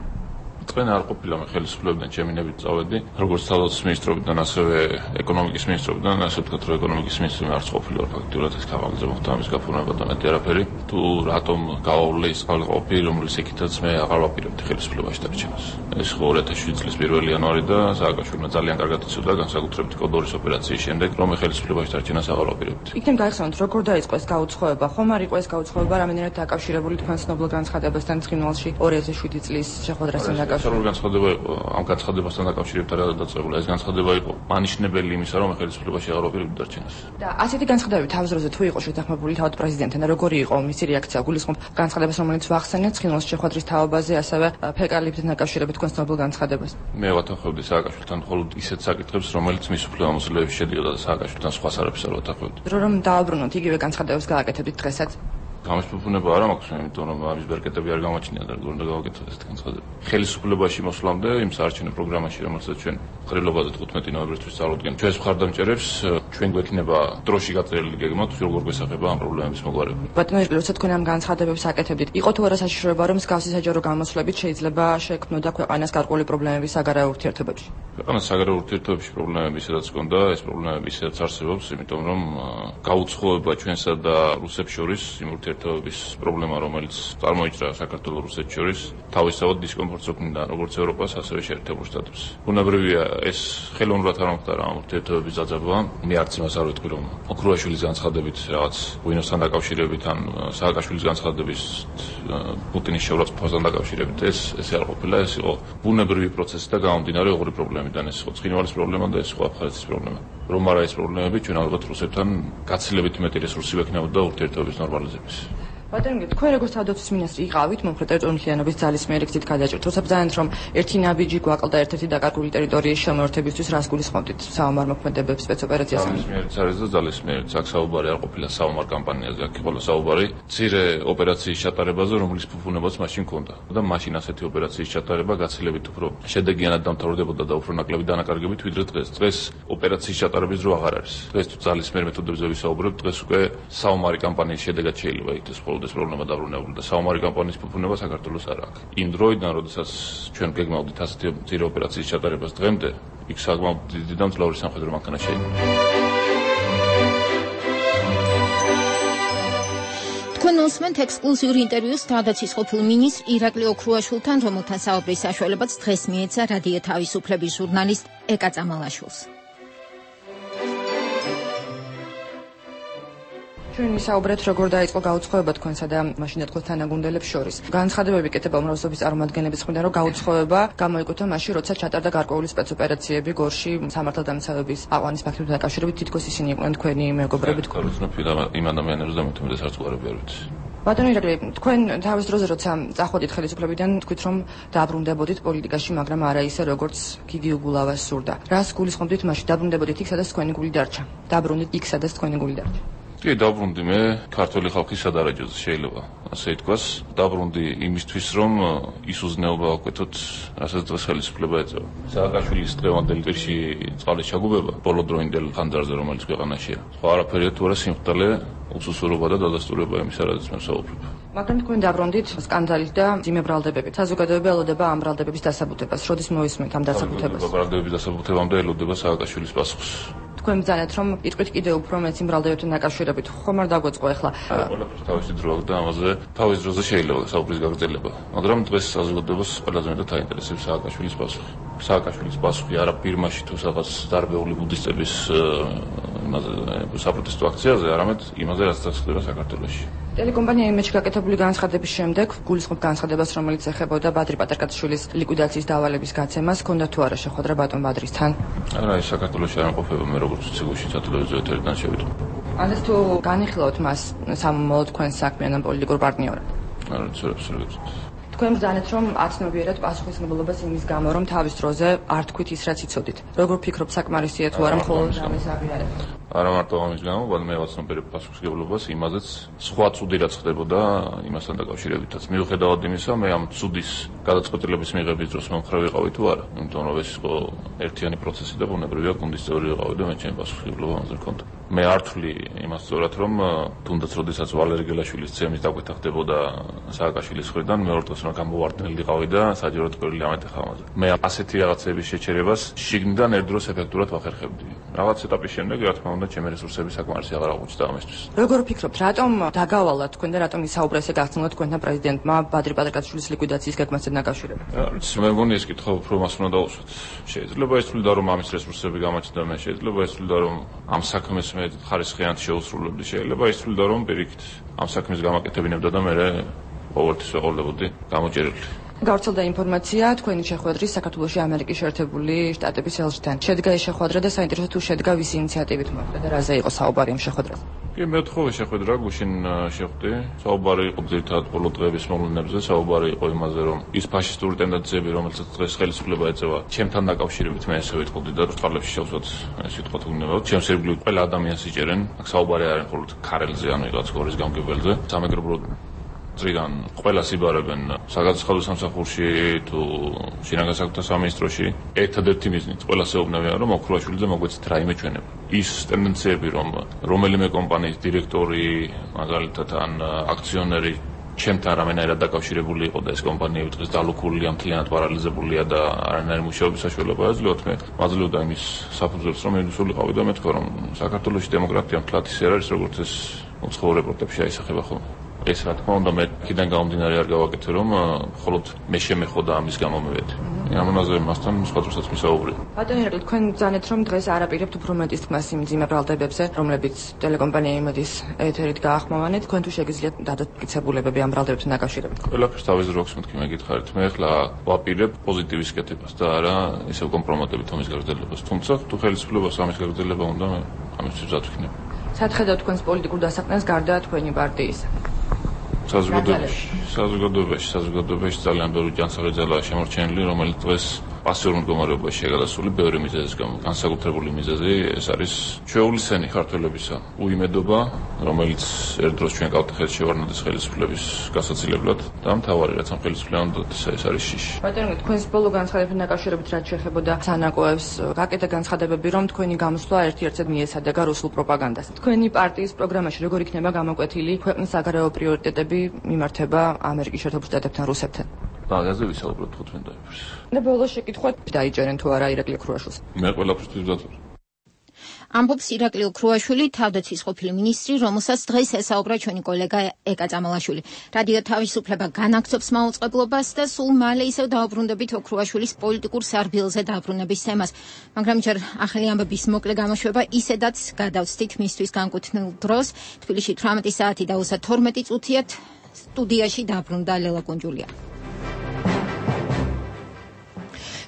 თქვენ არ ყოფილა მე ხელისუფლებიდან ჩემინებით წავედი, როგორც თავდაცვის მინისტრობიდან, ასევე ეკონომიკის მინისტრობიდან, ასე ვთქვათ, რომ ეკონომიკის მინისტრი არც ყოფილა ფაქტიურად ეს კამალზე მოხდა ამის გაფორმება და მეტი არაფერი. თუ რატომ გავავლე ის ყალყოპი, რომელიც ეკითაც მე აღარ ვაპირებდი ხელისუფლებაში დარჩენას. ეს 2007 წლის 1 იანვარი და სააკაშვილმა ძალიან კარგად იცოდა განსაკუთრებით კოდორის ოპერაციის შემდეგ, რომ ხელისუფლებაში დარჩენას აღარ ვაპირებდი. იქნებ გაიხსენოთ, როგორ დაიწყო ეს გაუცხოება? ხომ არ იყო ეს გაუცხოება რამენერად დაკავშირებული თქვენ ცნობილ განცხადებასთან ცხინვალში 2007 წლის შეხვედრასთან დაკავშირებით? განცხადება იყო ამ განცხადებასთან დაკავშირებით არ დაწყებულა. ეს განცხადება იყო მანიშნებელი იმისა, რომ ხელისუფლებაში აღარ ვაპირებდი დარჩენას. და ასეთი განცხადებები თავის დროზე თუ იყო შეთანხმებული თავად პრეზიდენტთან და როგორი იყო მისი რეაქცია? გულისხმობ განცხადებას, რომელიც ვახსენეთ ცხინვალის შეხვედრის თაობაზე, ასევე ფეკალიებთან დაკავშირებით თქვენ ცნობილ განცხადებას. მე ვათანხმებდი სააკაშვილთან მხოლოდ ისეთ საკითხებს, რომელიც მის უფლებამოსილებში შედიოდა და სააკაშვილთან სხვა სარაფის არ ვათანხმებდი. რომ დააბრუნოთ იგივე განცხადებებს გააკეთებდით დღესაც? გამოსფუფუნება არ მაქვს, იმიტომ რომ ამის ბერკეტები არ გამოჩნია და როგორ უნდა გავაკეთოთ ეს განცხადება. ხელისუფლებაში მოსვლამდე იმ საარჩევნო პროგრამაში, რომელსაც ჩვენ ხრილობაზე 15 ნოემბერისთვის წარუდგენთ, ჩვენს მხარდამჭერებს ჩვენ გვექნება დროში გაწერილი გეგმა, თუ როგორ გვესახება ამ პრობლემების მოგვარება. ბატონო ირგლი, როცა თქვენ ამ განცხადებებს აკეთებდით, იყო თუ არა საშიშროება, რომ მსგავსი საჯარო გამოსვლებით შეიძლება შეექმნოდა ქვეყანას გარკვეული პრობლემები საგარეო ურთიერთობებში? ქვეყანას საგარეო ურთიერთობებში პრობლემები ისედაც ჰქონდა, ეს პრობლემები ისედაც არსებობს, იმიტომ რომ გაუცხოება ჩვენსა და რუსებს შორის იმ ურთიერთობების პრობლემა, რომელიც წარმოიჭრა საქართველოს რუსეთს შორის, თავისთავად დისკომფორტს უქმნიდა როგორც ევროპას, ასევე შეერთებულ შტატებს. ბუნებრივია, ეს ხელოვნურად არ მომხდარა ამ ურთიერთობების დაძაბვა. მე არც იმას არ ვეთქვი, რომ ოქრუაშვილის განცხადებით რაღაც ვინოსთან დაკავშირებით ან სააკაშვილის განცხადების პუტინის შეურაცხყოფასთან დაკავშირებით ეს არ ყოფილა, ეს იყო ბუნებრივი პროცესი და გამომდინარე ოღონდ პრობლემიდან, ეს იყო ცხინვალის პრობლემა და ეს იყო აფხაზეთის პრობლემა. რომ არა ეს პრობლემები, ჩვენ ალბათ რუსებთან გაცილებით მეტი რესურსი ვექნებოდა ურთიერთობების ნორმალიზების. ბატონო, თქვენ როგორც თავდაცვის მინისტრი იყავით მომხრე ტერიტორიულიანობის ძალის მიერ იქით გადაჭრით. როცა ბრძანეთ, რომ ერთი ნაბიჯი გვაკლდა ერთ-ერთი დაკარგული ტერიტორიის შემოერთებისთვის, რას გულისხმობთ საომარ მოქმედებებს სპეცოპერაციას? ძალის მიერიც არის და ძალის მიერიც აქ საუბარი არ ყოფილა საომარ კამპანიაზე, აქ იყო საუბარი მცირე ოპერაციის ჩატარებაზე, რომლის ფუფუნებაც მაშინ ჰქონდა. და მაშინ ასეთი ოპერაციის ჩატარება გაცილებით უფრო შედეგიანად დამთავრდებოდა და უფრო ნაკლები დანაკარგებით ვიდრე დღეს. დღეს ოპერაციის ჩატარების დრო აღარ არის. დღეს თუ ძალის მიერ მეთოდებზე ვისაუბრებთ, დღეს უკვე საომარი კამპანიის შედეგად შეიძლება იქნეს ეს პრობლემა დაბრუნებული და საომარი კამპანიის ფუფუნება საქართველოს არ აქვს. იმ დროიდან, როდესაც ჩვენ გეგმავდით ასეთი მცირე ოპერაციის ჩატარებას დღემდე, იქ საკმაოდ დიდი და მძლავრი სამხედრო მანქანა შეიქმნა. თქვენ უსმენთ ექსკლუზიურ ინტერვიუს თავდაცვის ყოფილ მინისტრ ირაკლი ოქრუაშვილთან, რომელთან საუბრის საშუალებაც დღეს მიეცა რადიო თავისუფლების ჟურნალისტ ეკა წამალაშვილს. ჩვენ ვისაუბრეთ, როგორ დაიწყო გაუცხოება თქვენსა და მაშინ თქვენ თანაგუნდელებს შორის. განცხადებები კეთება უმრავლესობის წარმომადგენლების მხრიდან, რომ გაუცხოება გამოიკუთა მაშინ, როცა ჩატარდა გარკვეული სპეცოპერაციები გორში სამართალდამცავების აყვანის ფაქტებთან დაკავშირებით, თითქოს ისინი იყვნენ თქვენი მეგობრები. თქვენ იმ ადამიანებს და მეთუმეტეს არც უარები არ ვიცი. ბატონო ირაკლი, თქვენ თავის დროზე როცა წახვედით ხელისუფლებიდან, თქვით რომ დაბრუნდებოდით პოლიტიკაში, მაგრამ არა ისე როგორც გიგი უგულავას სურდა. რას გულისხმობთ მაშინ? დაბრუნდებოდით იქ, სადაც თქვენი გული დარჩა. დაბრუნდით იქ, სადაც თქვენი გული დარჩა. კი, დაბრუნდი მე ქართული ხალხის სადარაჯოზე, შეიძლება ასე ითქვას. დაბრუნდი იმისთვის, რომ ის უზნეობა ვაკვეთოთ, რასაც დღეს ხელისუფლება ეწევა. სააკაშვილის დღევანდელი პირში წყალის ჩაგუბება ბოლოდროინდელ ხანძარზე, რომელიც ქვეყანაშია. სხვა არაფერია თუ არა სიმხდალე, უსუსურობა და დადასტურება იმისა, რადგან მე ვსაუბრობ. მაგრამ თქვენ დაბრუნდით სკანდალით და ძიმე ბრალდებებით. საზოგადოება ელოდება ამ ბრალდებების დასაბუთებას. როდის მოისმენთ ამ დასაბუთებას? ბრალდებების დასაბუთებამდე ელოდება სააკაშვილის პასუხს. თქვენ ბრძანეთ, რომ იტყვით კიდევ უფრო მეც იმ ბრალდებებთან დაკავშირებით. ხომ არ დაგვეწყო ახლა? ყველაფერს თავისი დრო აქვს და ამაზე თავის დროზე შეიძლება საუბრის გაგრძელება. მაგრამ დღეს საზოგადოებას ყველაზე მეტად აინტერესებს სააკაშვილის პასუხი. სააკაშვილის პასუხი არა ფირმაში თუ რაღაც დარბეული ბუდისტების იმაზე საპროტესტო აქციაზე, არამედ იმაზე, რაც ხდება საქართველოში. ტელეკომპანია იმედში გაკეთებული განცხადების შემდეგ გულისხმობ განცხადებას, რომელიც ეხებოდა ბადრი პატარკაციშვილის ლიკვიდაციის დავალების გაცემას, ჰქონდა თუ არა შეხვედრა ბატონ ბადრისთან? არა, ის საქართველოში არ იმყოფება, მე როგორც ვიცი, გუშინ სატელევიზიო ეთერიდან შევიდო. ანდეს თუ განიხილავთ მას სამომავლო თქვენ საქმიან ან პოლიტიკურ პარტნიორად? არა, ცოტა ვცდილობ. თქვენ ბრძანეთ, რომ აცნობიერად პასუხისმგებლობას იმის გამო, რომ თავის დროზე არ თქვით ის, რაც იცოდით. როგორ ფიქრობთ, საკმარისია თუ არა მხოლოდ ამის აღიარება? არა მარტო ამის გამო, მაგრამ მე ვაცნობიერებ პასუხისმგებლობას იმაზეც, სხვა ცუდი რაც ხდებოდა იმასთან დაკავშირებითაც. მიუხედავად იმისა, მე ამ ცუდის გადაწყვეტილების მიღების დროს მომხრე ვიყავი თუ არა, იმიტომ რომ ეს იყო ერთიანი პროცესი და ბუნებრივია გუნდის წევრი ვიყავი და მე ჩემი პასუხისმგებლობა ამაზე მქონდა. მე არ ვთვლი იმას სწორად, რომ თუნდაც როდესაც ვალერი გელაშვილის ცემის დაკვეთა ხდებოდა სააკაშვილის მხრიდან, მეორე დღეს რომ გამოვარდნილი ვიყავი და საჯაროდ კვირილი ამეთახა ამაზე. მე ასეთი რაღაცების შეჩერებას შიგნიდან ერთდროს ეფექტურად ვახერხებდი. რაღაც ეტაპის შემდეგ, რა თქმა უნდა, ჩემი რესურსები საკმარისი აღარ აღმოჩნდა ამისთვის. როგორ ვფიქრობთ, რატომ დაგავალა თქვენ და რატომ ისაუბრა ესე გახსნა თქვენთან პრეზიდენტმა ბადრი პატრიკაშვილის ლიკვიდაციის გეგმასთან დაკავშირებით? მე მგონი ეს კითხვა უფრო მას უნდა დავუსვათ. შეიძლება ითვლიდა რომ ამის რესურსები გამოჩნდა, მე შეიძლება ითვლიდა რომ ამ საქმეს მე ხარისხიანად შეუსრულებდი, შეიძლება ითვლიდა რომ პირიქით ამ საქმის გამაკეთებინებდა და მე ყოველთვის ვეყოლებოდი გამოჭერილი. გავრცელდა ინფორმაცია თქვენი შეხვედრის საქართველოში ამერიკის შეერთებული შტატების ელჩთან. შედგა ეს შეხვედრა და საინტერესო თუ შედგა ვის ინიციატივით მოხდა და რაზე იყო საუბარი ამ შეხვედრაზე? კი, მეთხოვე შეხვედრა გუშინ შეხვდი. საუბარი იყო ძირითადად ბოლო დღეების მოვლენებზე, საუბარი იყო იმაზე, რომ ის ფაშისტური ტენდენციები, რომელსაც დღეს ხელისუფლება ეწევა, ჩემთან დაკავშირებით მე ესე ვიტყოდი და ბრწყალებში შევსვათ ეს სიტყვა თუ გნებავთ. ჩემს ირგვლივ ყველა ადამიანს იჭერენ. აქ საუბარი არ არის მხოლოდ ქარელზე, ანუ ვიღაც გორის გამგებელზე. სამეგრობლო წრიდან ყველას იბარებენ საგაცხადო სამსახურში თუ შინაგან საქმეთა სამინისტროში. ერთადერთი მიზნით ყველას ეუბნებიან, რომ ოქრუაშვილიძე მოგვეცით რაიმე ჩვენება. ის ტენდენციები, რომ რომელიმე კომპანიის დირექტორი, მაგალითად ან აქციონერი ჩემთან რამენაირად დაკავშირებული იყო და ეს კომპანიები დღეს დალუქულია, მთლიანად პარალიზებულია და არანაირი მუშაობის საშუალება აძლევთ, მე მაძლევდა იმის საფუძველს, რომ მივსულიყავი და მეთქვა, რომ საქართველოში დემოკრატია მთლად ისე არის, როგორც ეს უცხოურ რეპორტებში აისახება ხოლმე. ეს რა თქმა უნდა მე კიდენ გამომდინარე არ გავაკეთე, რომ მხოლოდ მე შემეხოდა ამის გამომივედი. ამაზე მასთან სხვა დროსაც მისაუბრე. ბატონო ირაკლი, თქვენ ბრძანეთ, რომ დღეს არაპირებთ უფრო მეტის თქმას იმ მძიმე ბრალდებებზე, რომლებიც ტელეკომპანია იმედის ეთერით გაახმოვანეთ. თქვენ თუ შეგიძლიათ დადასტურებები ამ ბრალდებებთან დაკავშირებით? ყველაფერს თავის როქს მეთქი მე გითხარით. მე ახლა ვაპირებ პოზიტივის კეთებას და არა ისევ კომპრომატებით ამის გაგრძელებას. თუმცა თუ ხელისუფლებას ამის გაგრძელება უნდა, მე ამისთვის მზად ვიქნები. სათხედავ თქვენს პოლიტიკურ დასაყრდენს გარდა თქვენი პარტიის საზოგადოებაში ძალიან ბევრი ჯანსაღი ძალაა შემორჩენილი, რომელიც დღეს პასიურ მდგომარეობაში გადასული ბევრი მიზეზის გამო. განსაკუთრებული მიზეზი ეს არის ჩვეულისცენი ქართველებისა უიმედობა, რომელიც ერთდროს ჩვენ კავთახეთს შევარდნადეს ხელისუფლების გასაცილებლად და მთავარი რაც ამ ხელისუფლებამ ეს არის შიში. ბატონო, თქვენს ბოლო განცხადებთან დაკავშირებით რაც შეეხებოდა სანაკოებს, გაკეთა განცხადებები, რომ თქვენი გამოსვლა ერთ-ერთად მიესადეგა რუსულ პროპაგანდას. თქვენი პარტიის პროგრამაში როგორ იქნება გამოკვეთილი ქვეყნის საგარეო პრიორიტეტები მიმართება ამერიკის შეერთებულ შტატებთან, რუსეთთან? მაგაზე ვისაუბროთ 15 დაიფერს. და ბოლოს შეკითხვა დაიჯერენ თუ არა ირაკლი ოქრუაშვილს? მე ყველაფერთვის მზად ვარ. ამბობს ირაკლი ოქრუაშვილი, თავდაცვის ყოფილი მინისტრი, რომელსაც დღეს ესაუბრა ჩვენი კოლეგა ეკა წამალაშვილი. რადიო თავისუფლება განაგრძობს მაუწყებლობას და სულ მალე ისევ დაუბრუნდებით ოქრუაშვილის პოლიტიკურ სარბილზე დაბრუნების თემას. მაგრამ ჯერ ახალი ამბების მოკლე გამოშვება ისედაც გადავსდით მისთვის განკუთვნილ დროს. თბილისში 18 საათი და 12 წუთიათ სტუდიაში დაბრუნდა ლელა კუნჯულია.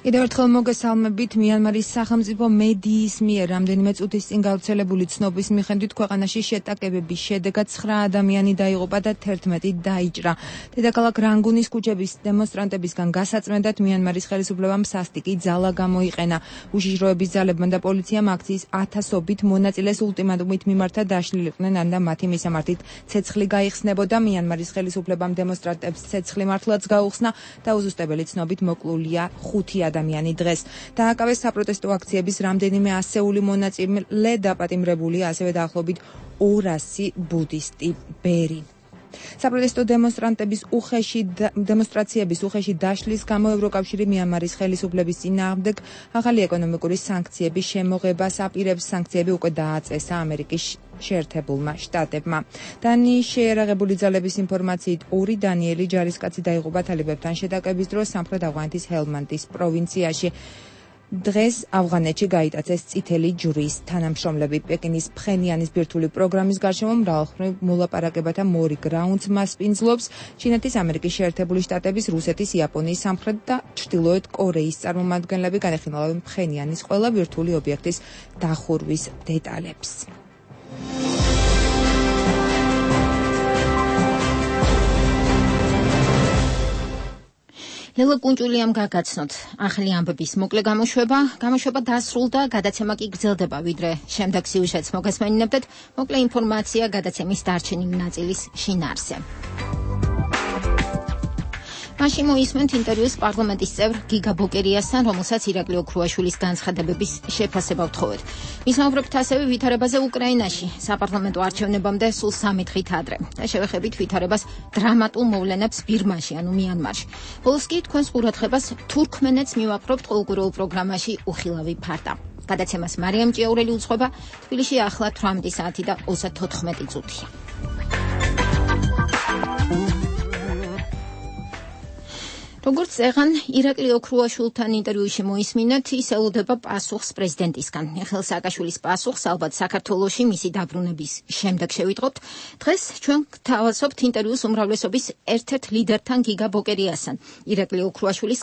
კიდევ ერთხელ მოგესალმებით. მიანმარის სახელმწიფო მედიის მიერ რამდენიმე წუთის წინ გავრცელებული ცნობის მიხედვით ქვეყანაში შეტაკებების შედეგად 9 ადამიანი დაიღუპა და 11 დაიჭრა. დედაქალაქ რანგუნის ქუჩების დემონსტრანტებისგან გასაწმენდად მიანმარის ხელისუფლებამ სასტიკი ძალა გამოიყენა. უშიშროების ძალებმა და პოლიციამ აქციის ათასობით მონაწილეს ულტიმატუმით მიმართა დაშლილიყვნენ, ანდა მათი მისამართით ცეცხლი გაიხსნებოდა. მიანმარის ხელისუფლებამ დემონსტრანტებს ცეცხლი მართლაც გაუხსნა და უზუსტებელი ცნობით მოკლულია 5 ადამიანი დღეს. დააკავეს საპროტესტო აქციების რამდენიმე ასეული მონაწილე დაპატიმრებულია, ასევე დაახლოებით 200 ბუდისტი ბერი. საპროტესტო დემონსტრაციების უხეში დაშლის გამო ევროკავშირი მიანმარის ხელისუფლების წინააღმდეგ ახალი ეკონომიკური სანქციების შემოღებას აპირებს. სანქციები უკვე დააწესა ამერიკის შეერთებულმა შტატებმა. დანიის შეერაღებული ძალების ინფორმაციით 2 დანიელი ჯარისკაცი დაიღუპა თალიბებთან შეტაკების დროს სამხრეთ ავღანეთის ჰელმანდის პროვინციაში. დღეს ავღანეთში გაიტაცეს წითელი ჯვრის თანამშრომლები. პეკინის ფხენიანის ბირთვული პროგრამის გარშემო მრავალხმრივ მოლაპარაკებათა მორიგ რაუნდს მასპინძლობს ჩინეთის, ამერიკის შეერთებული შტატების, რუსეთის, იაპონიის, სამხრეთ და ჩრდილოეთ კორეის წარმომადგენლები. განეხილავენ ფხენიანის ყველა ბირთვული ობიექტის დახურვის დეტალებს. ლელა კუნჭულიამ გაგაცნოთ ახალი ამბების მოკლე გამოშვება დასრულდა, გადაცემა კი გრძელდება, ვიდრე შემდეგ სიუჟეტს მოგესმენინებდეთ. მოკლე ინფორმაცია გადაცემის დარჩენილი ნაწილის შინაარსზე. მაშინ მოისმენთ ინტერვიუს პარლამენტის წევრ გიგა ბოკერიასთან, რომელსაც ირაკლი ოქრუაშვილის განცხადებების შეფასება ვთხოვეთ. მისმაუბრებთ ასევე ვითარებაზე უკრაინაში, საპარლამენტო არჩევნებამდე სულ 3 დღით ადრე. და შევეხებით ვითარებას დრამატულ მოვლენებს ბირმაში, ანუ მიანმარში. ბოლოს კი თქვენს ყურადღებას თურქმენეთს მივაპყრობთ ყოველკვირეულ პროგრამაში უხილავი ფარდა. გადაცემას მარიამ ჭიაურელი უძღვება, თბილისში ახლა 18 საათი და 34 წუთი. როგორც წეღან ირაკლი ოქრუაშვილთან ინტერვიუში მოისმინეთ, ის ელოდება პასუხს პრეზიდენტისგან. მიხეილ სააკაშვილის პასუხს ალბათ საქართველოში მისი დაბრუნების შემდეგ შევიტყობთ. დღეს ჩვენ გთავაზობთ ინტერვიუს უმრავლესობის ერთ-ერთ ლიდერთან გიგა ბოკერიასთან, ირაკლი ოქრუაშვილის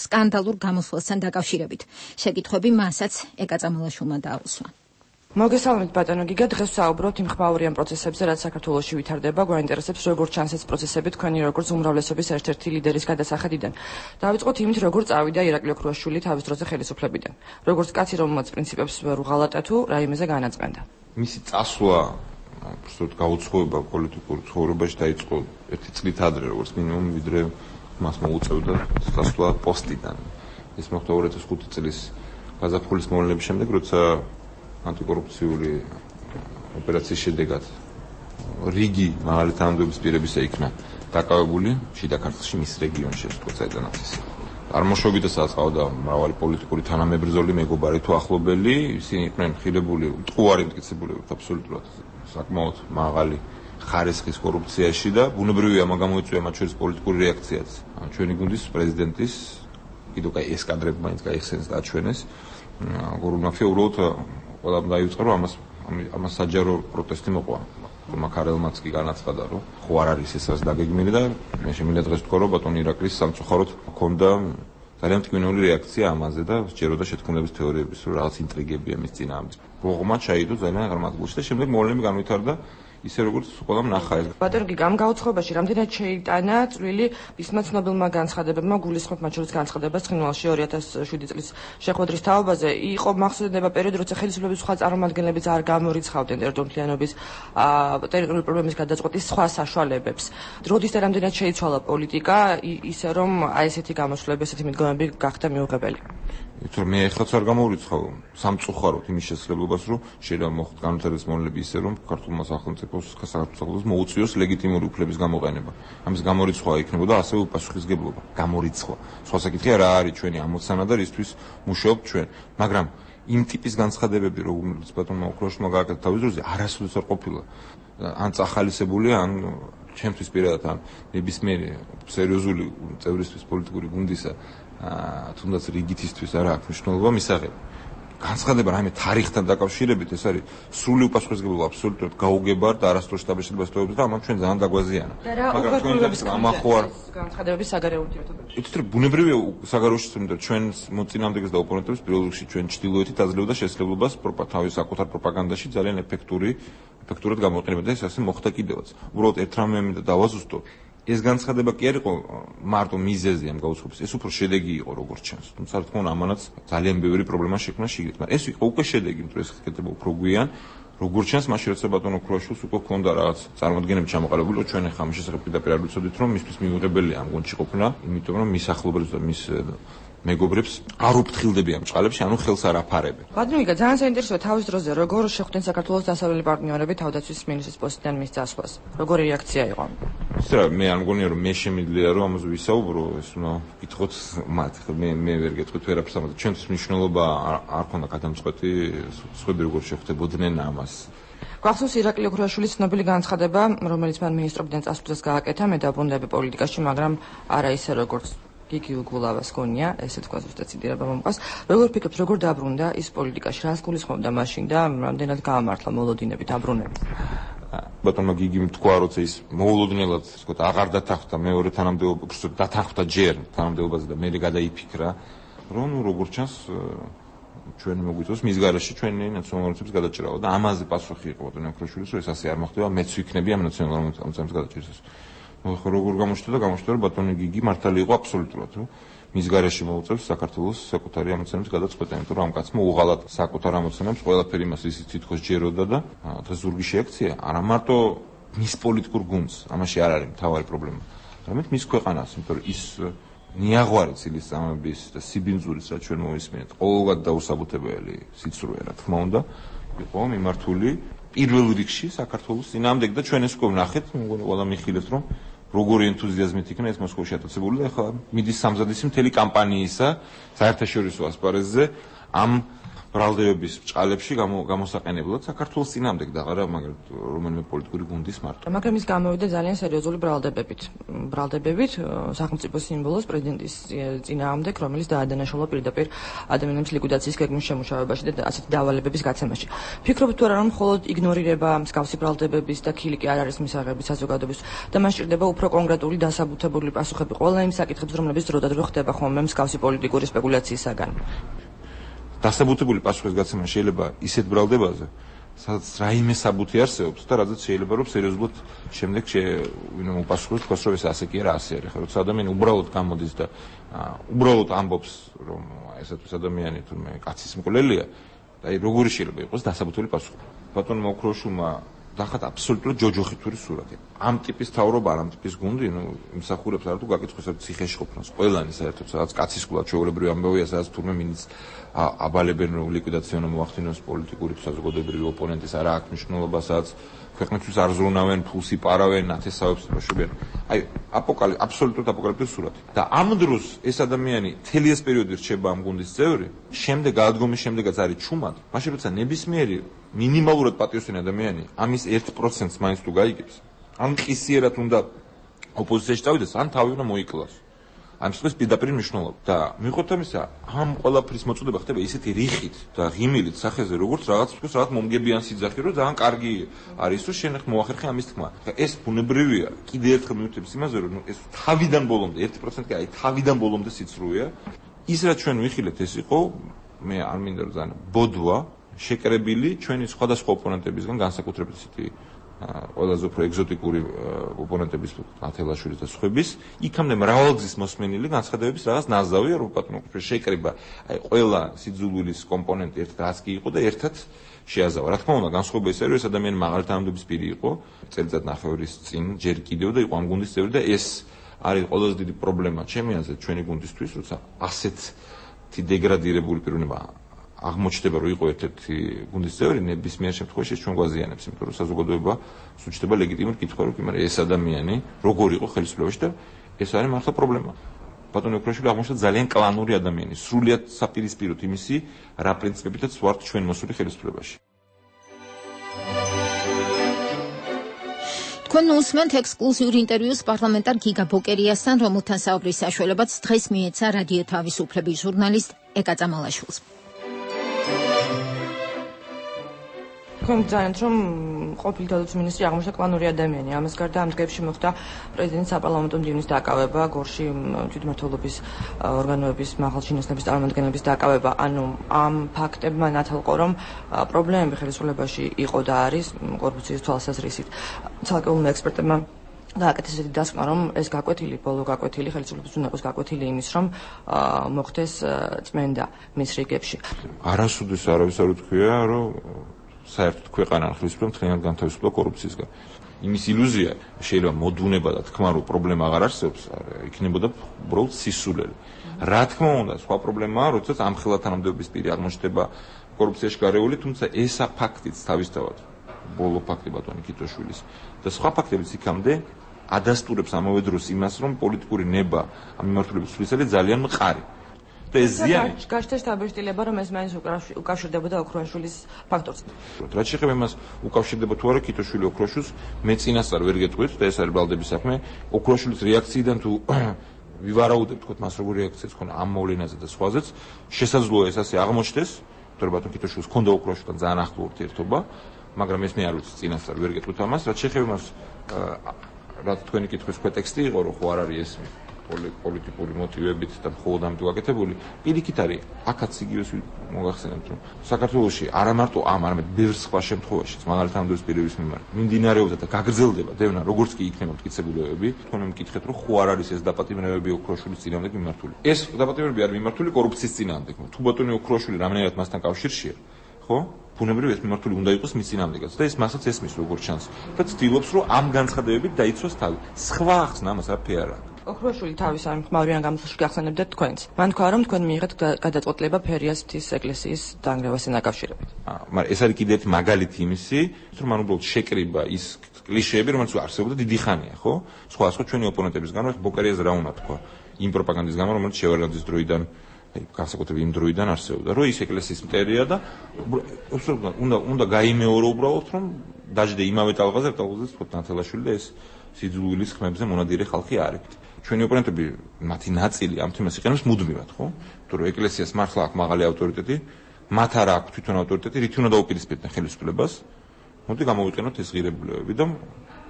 სკანდალურ გამოსვლასთან დაკავშირებით. შეკითხვები მასაც ეკა წამალაშვილმა დააუსვა. მოგესალმებით ბატონო გიგა, დღეს ვსაუბრობთ იმ ხმაურიან პროცესებზე, რაც საქართველოში ვითარდება. გვაინტერესებს როგორ ჩანს ეს პროცესები თქვენი როგორც უმრავლესობის ერთ-ერთი ლიდერის გადასახედიდან. დავიწყოთ იმით, როგორ წავიდა ირაკლი ოქრუაშვილი თავის დროზე ხელისუფლებიდან. როგორც კაცი, რომელმაც პრინციპებს ვერ უღალატა თუ რაიმეზე განაწყენდა. მისი წასვლა, უბრალოდ გაუცხოება პოლიტიკურ ცხოვრებაში დაიწყო 1 წლით ადრე, როგორც მინიმუმ, ვიდრე მას მოუწევდა წასვლა პოსტიდან. ეს მოხდა 2005 წლის გაზაფხულის მოვლენების შემდეგ, როცა ანტიკორუფციული ოპერაციის შედეგად რიგი მაღალი თანამდებობის პირებისა იქნა დაკავებული შიდა ქართლში, მის რეგიონში, თუმცა ედანაცის. წარმოშობითა საწყავდა მრავალი პოლიტიკური თანამებრძოლი, მეგობარი თუ ახლობელი, ისინი იყვნენ ხილებული, მტყუარი მტკიცებული აბსოლუტურად საკმაოდ მაღალი ხარისხის კორუფციაში და ბუნებრივია ამ გამოიწვია მათ შორის პოლიტიკური რეაქციაც. ჩვენი გუნდის პრეზიდენტის კიდევ ეს კადრები მაინც გაიხსენეს და აჩვენეს. გორუნაფია უბრალოდ ყველამ დაიწყო, რომ ამას საჯარო პროტესტი მოყვა. მაქარელმაც კი განაცხადა, რომ ხო არ არის ეს რაც დაგეგმილი და მე შემიძლია დღეს ვთქვა, რომ ბატონ ირაკლის სამწუხაროდ ჰქონდა ძალიან მტკივნეული რეაქცია ამაზე და სჯეროდა შეთქმულების თეორიების, რომ რაღაც ინტრიგებია მის წინააღმდეგ. ბოღმა ჩაიდო ძალიან აღმატებულში და შემდეგ მოვლენები განვითარდა ისე როგორც ყველამ ნახა. ბატონო გიგა, ამ გაუცხოებაში რამდენად შეიტანა წვლილი ისმა ცნობილმა განცხადებებმა, გულისხმობ მათ შორის განცხადებას ცხინვალში 2007 წლის შეხვედრის თაობაზე. იყო მახსოვდება პერიოდი, როცა ხელისუფლების სხვა წარმომადგენლებიც არ გამორიცხავდნენ ტერიტორიულობის ტერიტორიული პრობლემის გადაწყვეტის სხვა საშუალებებს. დროდის და რამდენად შეიცვალა პოლიტიკა ისე რომ აი ესეთი გამოსვლები, ესეთი მიდგომები გახდა მიუღებელი. თორე მე ეხლაც არ გამორიცხავ სამწუხაროდ იმის შესაძლებლობას, რომ შეიძლება მოხდეს განვითარების მოვლენები ისე, რომ ქართულმა სახელმწიფოს მოუწიოს ლეგიტიმური უფლების გამოყენება. ამის გამორიცხვა იქნებოდა ასევე უპასუხისმგებლობა. გამორიცხვა. სხვა საკითხია რა არის ჩვენი ამოცანა და რისთვის მუშაობთ ჩვენ. მაგრამ იმ ტიპის განცხადებები, როგორც ბატონმა ოქრუაშვილმა გააკეთა თავის დროზე, არასოდეს არ ყოფილა. ან წახალისებულია, ან ჩემთვის პირადად ან ნებისმიერი სერიოზული წევრისთვის პოლიტიკური გუნდისა თუნდაც რიგითისთვის არ აქვს მნიშვნელობა მისაღები. განცხადება რაიმე თარიღთან დაკავშირებით ეს არის სრული უპასუხისმგებლობა, აბსოლუტურად გაუგებარ და არასდროს დაბეჭდებას თხოვებს და ამან ჩვენ ძალიან დაგვაზიანა. მაგრამ თქვენს ამახوار განცხადებების საგარეო ურთიერთობებში. იცით რომ ბუნებრივია საგარეოში თუმცა ჩვენ მოწინააღმდეგეს და ოპონენტებს პირველ რიგში ჩვენ ჩtildeოეთით აძლევდა შესაძლებლობას თავის საკუთარ პროპაგანდაში ძალიან ეფექტურად გამოიყენება და ეს ასე მოხდა კიდევაც. უბრალოდ ერთ რამე მინდა დავაზუსტო. ეს განცხადება კი არ იყო მარტო მიზეზი ამ გაუცხოების, ეს უფრო შედეგი იყო როგორც ჩანს. თუმცა რა თქმა უნდა ამანაც ძალიან ბევრი პრობლემა შექმნა შიგნით, მაგრამ ეს იყო უკვე შედეგი, იმიტომ ეს ხდება უფრო გვიან. როგორც ჩანს, მაშინ როცა ბატონ ოქრუაშვილს უკვე ჰქონდა რაღაც წარმოადგენები ჩამოყალიბებული, ჩვენ ახლა ამის შესახებ პირდაპირ არ ვიცოდით, რომ მისთვის მიუღებელია ამ გუნდში ყოფნა, იმიტომ რომ მის ახლობლებს და მის მეგობრებს არ უფრთხილდებიან ამ წყალებში, ანუ ხელს არ აფარებენ. ბატონო გიგა, ძალიან საინტერესოა თავის დროზე როგორ შეხვდნენ საქართველოს დასავლელი პარტნიორები თავდაცვის მინისტრის პოსტიდან მის წასვლას. როგორი რეაქცია იყო? ისე მე არ მგონია რომ მე შემიძლია რომ ამაზე ვისაუბრო, ეს უნდა გითხოთ მათ. მე ვერ გეტყვით ვერაფერს ამაზე. ჩვენთვის მნიშვნელობა არ ქონდა გადამწყვეტი, სხვები როგორ შეხვდებოდნენ ამას. გვახსოვს ირაკლი ოქრუაშვილის ცნობილი განცხადება, რომელიც მან მინისტრობიდან წასვლისას გააკეთა, მე დაბრუნდები პოლიტიკაში, მაგრამ არა ისე როგორც გიგი უგულავას გონია, ესე თქვა ზუსტად ციტირება მომყავს. როგორ ფიქრობთ, როგორ დაბრუნდა ის პოლიტიკაში, რას გულისხმობდა მაშინ და რამდენად გაამართლა მოლოდინები დაბრუნების? ბატონმა გიგიმ თქვა, როცა ის მოულოდნელად, ასე ვთქვათ, აღარ დათანხმდა მეორე თანამდებობას, დათანხმდა ჯერ თანამდებობაზე და მე გადაიფიქრა, რომ როგორც ჩანს ჩვენ მოგვიწევს მის garaში ჩვენი ნაციონალურობის გადაჭრავა და ამაზე პასუხი იყო ბატონ ოქრუაშვილის, რომ ეს ასე არ მოხდება, მეც ვიქნები ამ ნაციონალურ ამოცანების გადაჭრისას. როგორ გამოჩნდა რომ ბატონი გიგი მართალი იყო აბსოლუტურად, რომ მის გარეშე მოუწევს საქართველოს საკუთარი ამოცანების გადაწყვეტა, იმიტომ რომ ამ კაცმა უღალატ საკუთარ ამოცანებს ყველაფერი მას ისიც თითქოს ჯეროდა და დღეს ზურგი შეაქცია, არა მარტო მის პოლიტიკურ გუნდს, ამაში არ არის მთავარი პრობლემა, არამედ მის ქვეყანას, იმიტომ რომ ის ნიაღვარი ცილისწამების და სიბინძურის რაც ჩვენ მოვისმენთ, ყოველგვარ დაუსაბუთებელი სიცრუე, რა თქმა უნდა, იყო მიმართული პირველ რიგში საქართველოს წინააღმდეგ და ჩვენ ეს უკვე ვნახეთ, მეგონი ყველა მიხილებს რომ როგორი ენთუზიაზმით იქნა ეს მოსკოვში ატაცებული და ახლა მიდის სამზადისი მთელი კამპანიისა საერთაშორისო ასპარეზზე ამ ბრალდებების ბჭყალებში გამოსაყენებლად საქართველოს წინააღმდეგ და არა მაგალითად რომელიმე პოლიტიკური გუნდის მარტო. მაგრამ ის გამოვიდა ძალიან სერიოზული ბრალდებებით სახელმწიფო სიმბოლოს პრეზიდენტის წინააღმდეგ, რომელიც დაადანაშაულა პირდაპირ ადამიანების ლიკვიდაციის გეგმის შემუშავებაში და ასეთი დავალებების გაცემაში. ფიქრობთ თუ არა რომ მხოლოდ იგნორირება მსგავსი ბრალდებების და ქილიკი არ არის მისაღები საზოგადოების და მას სჭირდება უფრო კონკრეტული დასაბუთებული პასუხები ყველა იმ საკითხებს, რომლებიც დროდადრო ხდება ხოლმე მსგავსი პოლიტიკური სპეკულაციისაგან. დასაბუთებული პასუხის გაცემა შეიძლება ისეთ ბრალდებაზე, სადაც რაიმე საბუთი არსებობს და რადგან შეიძლება რომ სერიოზულად შემდეგ ვინმე მოპასუხოს თქვას რომ ეს ასე კი არა ასე არის, ხა როცა ადამიანი უბრალოდ გამოდის და უბრალოდ ამბობს რომ ესეთვის ადამიანი თურმე კაცის მკვლელია და აი როგორი შეიძლება იყოს დასაბუთებული პასუხი. ბატონმა ოქროშულმა დახატა აბსოლუტურად ჯოჯოხითური სურათი. ამ ტიპის თავრობა, ამ ტიპის გუნდი, იმსახურებს არა თუ გაკითხოს ერთ ციხეში ყოფნას. ყველანი საერთოდ სადაც კაცისკულად ჩვეულებრივი ამბავია, სადაც თურმე მინიც აბალებენ რომ ლიკვიდაციონა მოახდინოს პოლიტიკური საზოგადოებრივი ოპონენტის არა აქვს მნიშვნელობა, სადაც ქვეყნისთვის არ ზრუნავენ, ფულს იპარავენ, ნათესავებს აშობენ. აი აბსოლუტურად აპოკალიფტური სურათი. და ამ დროს ეს ადამიანი მთელი ეს პერიოდი რჩება ამ გუნდის წევრი, შემდეგ გადადგომის შემდეგაც არის ჩუმად. მაშინ როცა ნებისმიერი მინიმალურად პატიოსანი ადამიანი ამის 1%-ს მაინც თუ გაიგებს, ან ყისიერად უნდა ოპოზიციაში წავიდეს, ან თავი უნდა მოიკლას. ამ შემთხვევაში პირდაპირ მნიშვნელობა და მიუხედავად ამისა, ამ ყველაფრის მოწოდება ხდება ისეთი რიხით და ღიმილით სახეზე, როგორც რაღაც მომგებიან სიძახი, რომ ძალიან კარგი არის, რომ შენ ხ მოახერხე ამის თქმა. ეს ბუნებრივია. კიდევ ერთხელ მივხვდებით იმაზე, რომ ეს თავიდან ბოლომდე 1% კი აი თავიდან ბოლომდე სიცრუეა. ის რაც ჩვენ ვიხილეთ, ეს იყო მე არ მინდა რომ ძალიან ბოდვა შეკრებილი ჩვენი სხვადასხვა ოპონენტებისგან, განსაკუთრებით ისეთი ყველაზე უფრო ეგზოტიკური ოპონენტების ათელაშვილის და სხვების, იქამდე მრავალგზის მოსმენილი განცხადებების რაღაც ნაზავია, რომ ბატონო შეკრება, აი ყველა სიძულვილის კომპონენტი ერთ რაც კი იყო და ერთად შეაზავა. რა თქმა უნდა, განსხვავება ის არის, რომ ეს ადამიანი მაღალი თანამდებობის პირი იყო, წელიწად ნახევრის წინ ჯერ კიდევ და იყო ამ გუნდის წევრი და ეს არის ყველაზე დიდი პრობლემა ჩემი აზრით ჩვენი გუნდისთვის, როცა ასეთი დეგრადირებული პიროვნება აღმოჩნდება რომ იყო ერთ-ერთი გუნდის წევრი, ნებისმიერ შემთხვევაში ჩვენ გვაზიანებს, იმიტომ რომ საზოგადოება სუჩდება ლეგიტიმურ კითხვას, რომ ეს ადამიანი როგორ იყო ხელისუფლებაში და ეს არის მართლა პრობლემა. ბატონი ოქროშვილი აღმოჩნდა ძალიან კლანური ადამიანი, სრულიად საპირისპიროთ იმისი, რა პრინციპებითაც ვართ ჩვენ მოსული ხელისუფლებაში. თქვენ უსმენთ ექსკლუზიურ ინტერვიუს პარლამენტარ გიგა ბოკერიასთან, რომელთან საუბრის საშუალებაც დღეს მიეცა რადიო თავისუფლების ჟურნალისტ ეკა წამალაშვილს. თქვენ გძანეთ რომ ყოფილი თავდაცვის მინისტრი აღმოჩნდა კლანური ადამიანი. ამას გარდა ამ დღეებში მოხდა პრეზიდენტის საპარლამენტო მდივნის დაკავება, გორში თვითმმართველობის ორგანოების მაღალჩინოსნების წარმომადგენლების დაკავება. ანუ ამ ფაქტებმა ნათელყო რომ პრობლემები ხელისუფლებაში იყო და არის კორუფციის თვალსაზრისით. ცალკეულმა ექსპერტებმა გააკეთეს ესეთი დასკვნა, რომ ეს ბოლო გაკვეთილი ხელისუფლების უნდა იყოს გაკვეთილი იმის, რომ მოხდეს წმენდა მის რიგებში. არასოდეს არავის არ უთქვია, რომ საერთოდ ქვეყანა ხელისუფლება მთლიანად განთავისუფლდა კორუფციისგან. იმის ილუზია შეიძლება მოდუნება და თქმა რომ პრობლემა აღარ არსებობს, იქნებოდა უბრალოდ სისულელი. რა თქმა უნდა, სხვა პრობლემაა, როდესაც ამ ხელა თანამდებობის პირი აღმოჩნდება კორუფციაში გარეული, თუმცა ესა ფაქტიც თავისთავად ბოლო ფაქტი ბატონი კიტოშვილის და სხვა ფაქტებიც იქამდე ადასტურებს ამავე დროს იმას, რომ პოლიტიკური ნება ამ მიმართულებით სულისელი ძალიან მყარი. და ეს ზიანი გაჩნდა შთაბეჭდილება, რომ ეს მაინც უკავშირდებოდა ოქროაშვილის ფაქტორს. რაც შეეხება იმას უკავშირდება თუ არა კიტოშვილი ოქროშვილს, მე წინასწარ ვერ გეტყვით და ეს არის ბრალდების საქმე. ოქროაშვილის რეაქციიდან თუ ვივარაუდებ თქო მას როგორი რეაქციაც ქონა ამ მოვლენაზე და სხვაზეც, შესაძლოა ეს ასე აღმოჩნდეს, თორე ბატონ კიტოშვილს ქონდა ოქროაშვილთან ძალიან ახლო ურთიერთობა, მაგრამ ეს მე არ ვიცი წინასწარ ვერ გეტყვით ამას, რაც შეეხება იმას, რა თქვენი კითხვის ქვეტექსტი იყო, რომ ხო არ არის ეს პოლიტიკური მოტივებით და მხოლოდ ამით გაკეთებული, პირიქით არის აქაც იგივეს მოგახსენებთ, რომ საქართველოში არა მარტო არამედ ბევრ სხვა შემთხვევაშიც, მაგალითად ამ დროს პირების მიმართ მიმდინარეობდა და გაგრძელდება დევნა, როგორც კი იქნება მტკიცებულებები, თქვენ მეკითხეთ, რომ ხო არ არის ეს დაპატიმრებები ოქროშვილის წინააღმდეგ მიმართული. ეს დაპატიმრებები არის მიმართული კორუფციის წინააღმდეგ. თუ ბატონი ოქროშვილი რამენერად მასთან კავშირშია, ხო? ბუნებრივია ეს მიმართული უნდა იყოს მის წინააღმდეგაც და ეს მასაც ესმის როგორც ჩანს და ცდილობს რომ ამ განცხადებებით დაიცვას თავი. სხვა ახსნა ამას არაფერი არ აქვს. ოქროშვილი თავის ამ ხმალვიან გამოსვლაში გახსენებდეთ თქვენც. მან თქვა რომ თქვენ მიიღეთ გადაწყვეტილება ფერიას ღვთის ეკლესიის დანგრევასთან დაკავშირებით. მაგრამ ეს არის კიდევ ერთი მაგალითი იმისი, რომ მან უბრალოდ შეკრიბა ის კლიშეები, რომელიც არსებობდა დიდი ხანია, ხო? სხვა ჩვენი ოპონენტების გამო ბოკერიას რა უნდა თქვა იმ პროპაგანდის გამო, რომელიც შევარდნაძის დროიდან განსაკუთრებით იმ დროიდან არსებობდა, რომ ის ეკლესიის მტერია და უნდა გაიმეორო უბრალოდ, რომ დაждე იმავე ტალღაზე, თქო ნათელაშვილი და ეს სიძულვილის ხმებზე მონადირე ხალხი არის. ჩვენი ოპონენტები მათი ნაწილი ამ თემას იყენებს მუდმივად, ხო? იმიტომ რომ ეკლესიას მართლა აქვს მაღალი ავტორიტეტი, მათ არ აქვს თვითონ ავტორიტეტი, რითი უნდა დაუპირისპირდნენ ხელისუფლებას. მოდი გამოვიყენოთ ეს ღირებულებები და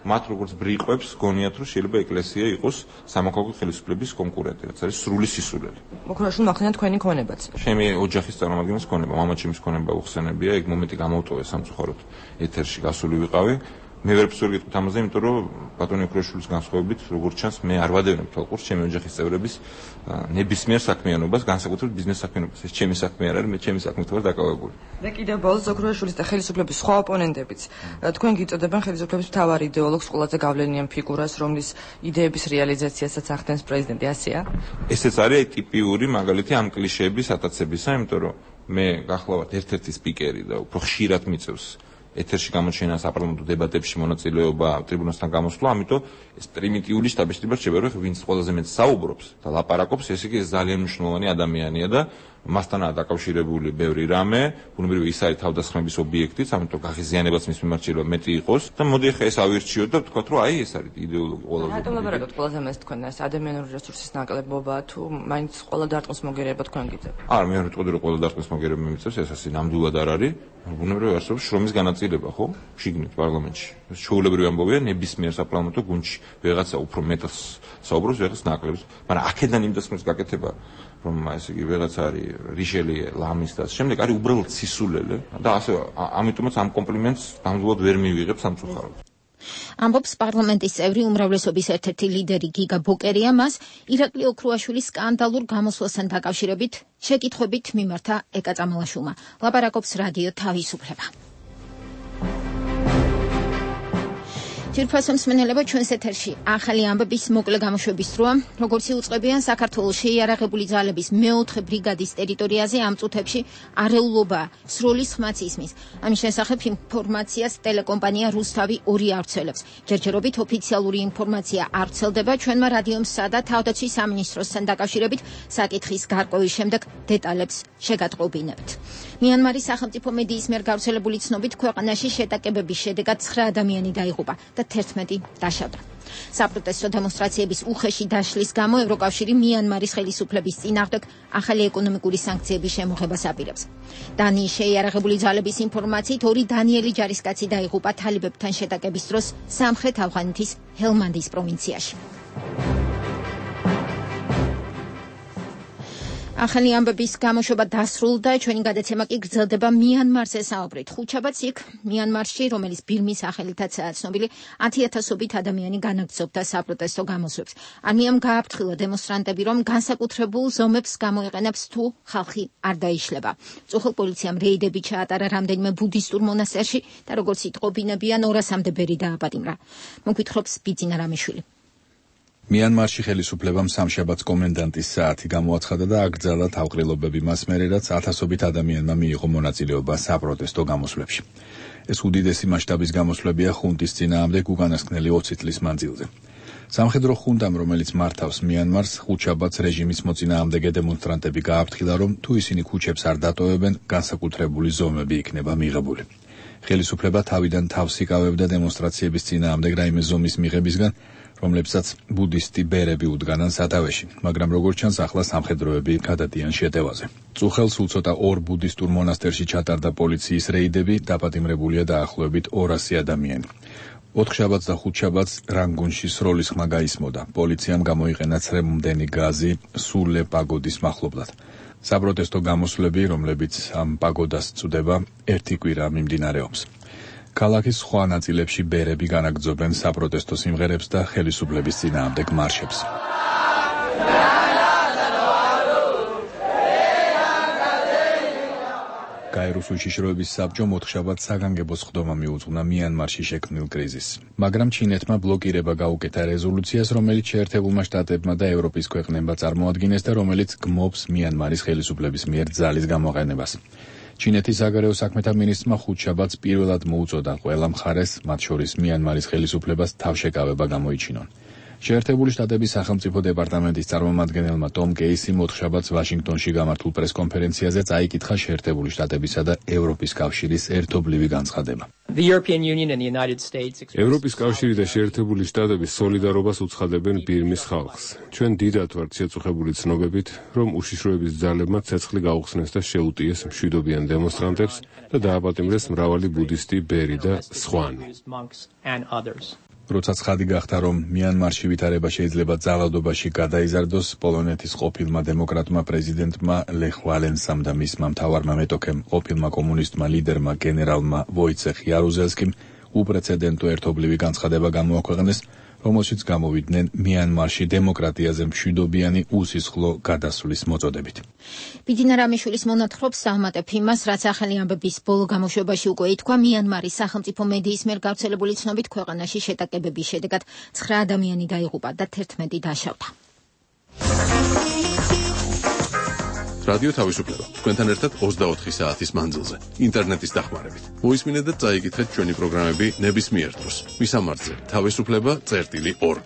მათ როგორც ბრიყვებს გონიათ რომ შეიძლება ეკლესია იყოს სამოქალაქო ხელისუფლების კონკურენტი, რაც არის სრული სისულელი. ოქროშვილი მახსენეთ თქვენი ქონებაც. ჩემი ოჯახის წარმომადგენლის ქონება, მამაჩემის ქონება უხსენებია, ეგ მომენტი გამოვტოვე სამწუხაროდ ეთერში გასული ვიყავი. მე ვერ ვსურვით ამაზე, იმიტომ რომ ბატონი ოქროშვილის განსხვავებით, როგორც ჩანს, მე არ ვადევნებ თვალყურს ჩემი ოჯახის წევრების ნებისმიერ საქმიანობას, განსაკუთრებით ბიზნეს საქმიანობას. ეს ჩემი საქმე არ არის, მე ჩემი საქმით ვარ დაკავებული. და კიდევ ბოლოს ოქროშვილის და ხელისუფლების სხვა ოპონენტებიც თქვენ გიწოდებენ ხელისუფლების მთავარ იდეოლოგს, ყველაზე გავლენიან ფიგურას, რომლის იდეების რეალიზაციასაც ახდენს პრეზიდენტი, ასეა? ესეც არის ტიპიური მაგალითი ამ კლიშეების ატაცებისა, იმიტომ რომ მე გახლავართ ერთ-ერთი სპიკერი და უფრო ხშირად მიწევს ეთერში გამოჩენა საპარლამენტო დებატებში მონაწილეობა ტრიბუნასთან გამოსვლა, ამიტომ ეს პრიმიტიული შტაბ-შტიბა რჩება, რომ ვინც ყველაზე მეტ საუბრობს და ლაპარაკობს, ეს იგი ძალიან მნიშვნელოვანი ადამიანია და მასთანაა დაკავშირებული ბევრი რამე, ბუნებრივია ის არის თავდასხმების ობიექტიც, ამიტომ გაღიზიანებაც მის მიმართ შეიძლება მეტი იყოს და მოდი ახლა ეს ავირჩიოთ და ვთქვათ, რომ აი ეს არის იდეოლოგი ყველაზე. რატომ ლაპარაკობთ ყველაზე მეტს თქვენ ეს ადამიანური რესურსის ნაკლებობა თუ მაინც ყველა დარტყმის მოგერება თქვენ გიწევთ? არა, მე არ ვიტყოდი რომ ყველა დარტყმის მოგერება მიმიწევს, ეს ასე ნამდვილად არ არის. ბუნებრივია არსებობს შრომის განაწილება, ხო? შიგნით პარლამენტში. ეს ჩვეულებრივი ამბავია ნებისმიერ საპარლამენტო გუნდში. ვიღაცა უფრო მეტად საუბრობს, ვიღაცა ნაკლებს, მაგრამ აქედან იმ დასმის გაკეთება რომ ესე იგი ვიღაცა არის რიშელიე, ლამის და შემდეგ არის უბრალოდ სისულელე და ასე ამიტომაც ამ კომპლიმენტს ნამდვილად ვერ მივიღებ სამწუხაროდ. ამბობს პარლამენტის წევრი უმრავლესობის ერთ-ერთი ლიდერი გიგა ბოკერია, მას ირაკლი ოქროაშვილის სკანდალურ გამოსვლასთან დაკავშირებით შეკითხვებით მიმართა ეკა წამალაშვილმა. ლაპარაკობს რადიო თავისუფლება. ძირფასო მსმენელებო, ჩვენს ეთერში ახალი ამბების მოკლე გამოშვების დროა. როგორც იუწყებიან, საქართველოს შეიარაღებული ძალების მეოთხე ბრიგადის ტერიტორიაზე ამ წუთებში არეულობა სროლის ხმაც ისმის. ამის შესახებ ინფორმაციას ტელეკომპანია რუსთავი 2 ავრცელებს. ჯერჯერობით ოფიციალური ინფორმაცია არ ვრცელდება. ჩვენმა რადიომსა და თავდაცვის სამინისტროსთან დაკავშირებით საკითხის გარკვევის შემდეგ დეტალებს შეგატყობინებთ. მიანმარის სახელმწიფო მედიის მიერ გავრცელებული ცნობით ქვეყანაში შეტაკებების შედეგად 9 ადამიანი დაიღუპა და 11 დაშავდა. საპროტესტო დემონსტრაციების უხეში დაშლის გამო ევროკავშირი მიანმარის ხელისუფლების წინააღმდეგ ახალი ეკონომიკური სანქციების შემოღებას აპირებს. დანიის შეიარაღებული ძალების ინფორმაციით 2 დანიელი ჯარისკაცი დაიღუპა თალიბებთან შეტაკების დროს სამხრეთ ავღანეთის ჰელმანდის პროვინციაში. ახალი ამბების გამოშვება დასრულდა, ჩვენი გადაცემა კი გრძელდება მიანმარზე საუბრით. ხუთშაბათს იქ მიანმარში, რომელიც ბირმის სახელითაცაა ცნობილი, 10,000-ობით ადამიანი განაგრძობდა საპროტესტო გამოსვლებს. არმიამ გააფრთხილა დემონსტრანტები, რომ განსაკუთრებულ ზომებს გამოიყენებს თუ ხალხი არ დაიშლება. წუხელ პოლიციამ რეიდები ჩაატარა რამდენიმე ბუდისტურ მონასტერში და როგორც იტყობინებიან 200-მდე ბერი დააპატიმრა. მოგვითხრობს ბიძინა რამიშვილი. მიანმარში ხელისუფლებამ სამშაბათს კომენდანტის საათი გამოაცხადა და აკრძალა თავყრილობები მას მერე, რაც 1000-ობით ადამიანმა მიიღო მონაწილეობა საპროტესტო გამოსვლებში. ეს უდიდესი მასშტაბის გამოსვლებია ხუნტის წინააღმდეგ უკანასკნელი 20 წლის მანძილზე. სამხედრო ხუნტამ, რომელიც მართავს მიანმარს, ხუთშაბათს რეჟიმის მოწინააღმდეგე დემონსტრანტები გააფრთხილა, რომ თუ ისინი ქუჩებს არ დატოვებენ, განსაკუთრებული ზომები იქნება მიღებული. ხელისუფლება თავიდან თავს იკავებდა დემონსტრაციების წინააღმდეგ რაიმე ზომის მიღებისგან, რომლებსაც ბუდისტი ბერები უდგანან სათავეში, მაგრამ როგორც ჩანს, ახლა სამხედროები გადადიან შეტევაზე. წუხელს სულ ცოტა 2 ბუდისტურ მონასტერში ჩატარდა პოლიციის რეიდები, დაპატიმრებულია დაახლოებით 200 ადამიანი. ოთხშაბათს და ხუთშაბათს რანგუნში სროლის ხმა გაისმოდა. პოლიციამ გამოიყენა ცრემლმდენი გაზი სულე პაგოდის მახლობლად. საპროტესტო გამოსვლები, რომლებიც ამ პაგოდას წუდება, ერთი კვირა მიმდინარეობს. ქალაქის სხვა ნაწილებში ბერები განაგრძობენ საპროტესტო სიმღერებს და ხელისუფლების წინააღმდეგ მარშებს. გაეროს უშიშროების საბჭომ ოთხშაბათს საგანგებო სხდომა მიუძღვნა მიანმარში შექმნილ კრიზისს. მაგრამ ჩინეთმა ბლოკირება გაუკეთა რეზოლუციას, რომელიც შეერთებულმა შტატებმა და ევროპის ქვეყნებმა წარმოადგინეს და რომელიც გმობს მიანმარის ხელისუფლების მიერ ძალის გამოყენებას. ჩინეთის საგარეო საქმეთა მინისტრმა ხუთშაბათს პირველად მოუწოდა ყველა მხარეს, მათ შორის მიანმარის ხელისუფლებას თავშეკავება გამოიჩინონ. შეერთებული შტატების სახელმწიფო დეპარტამენტის წარმომადგენელმა ტომ კეისიმ ოთხშაბათს ვაშინგტონში გამართულ პრესკონფერენციაზე წაიკითხა შეერთებული შტატებისა და ევროპის კავშირის ერთობლივი განცხადება. ევროპის კავშირი და შეერთებული შტატები სოლიდარობას უცხადებენ ბირმის ხალხს. ჩვენ დიდად ვართ შეწუხებული ცნობებით, რომ უშიშროების ძალებმა ცეცხლი გაუხსნეს და შეუტიეს მშვიდობიან დემონსტრანტებს და დააპატიმრეს მრავალი ბუდისტი, ბერი და სხვანი. როცა ცხადი გახდა, რომ მიანმარში ვითარება შეიძლება ძალადობაში გადაიზარდოს, პოლონეთის ყოფილმა დემოკრატმა პრეზიდენტმა ლეხ ვალენსამ და მისმა მთავარმა მეტოქემ, ყოფილმა კომუნისტმა ლიდერმა გენერალმა ვოიცეხ იარუზელსკიმ უპრეცედენტო ერთობლივი განცხადება გამოაქვეყნეს, რომელშიც გამოვიდნენ მიანმარში დემოკრატიაზე მშვიდობიანი უსისხლო გადასვლის მოწოდებით. ბიძინა რამიშვილის მონათხრობს საჰმატე ფიმას, რაც ახალი ამბების ბოლო გამოშვებაში უკვე ითქვა, მიანმარის სახელმწიფო მედიის მიერ გავრცელებული ცნობით ქვეყანაში შეტაკებების შედეგად 9 ადამიანი დაიღუპა და 11 დაშავდა. რადიო თავისუფლება. თქვენთან ერთად 24 საათის მანძილზე. ინტერნეტის დახმარებით. მოისმინეთ და წაიკითხეთ ჩვენი პროგრამები ნებისმიერ დროს. მისამართზე: თავისუფლება.org.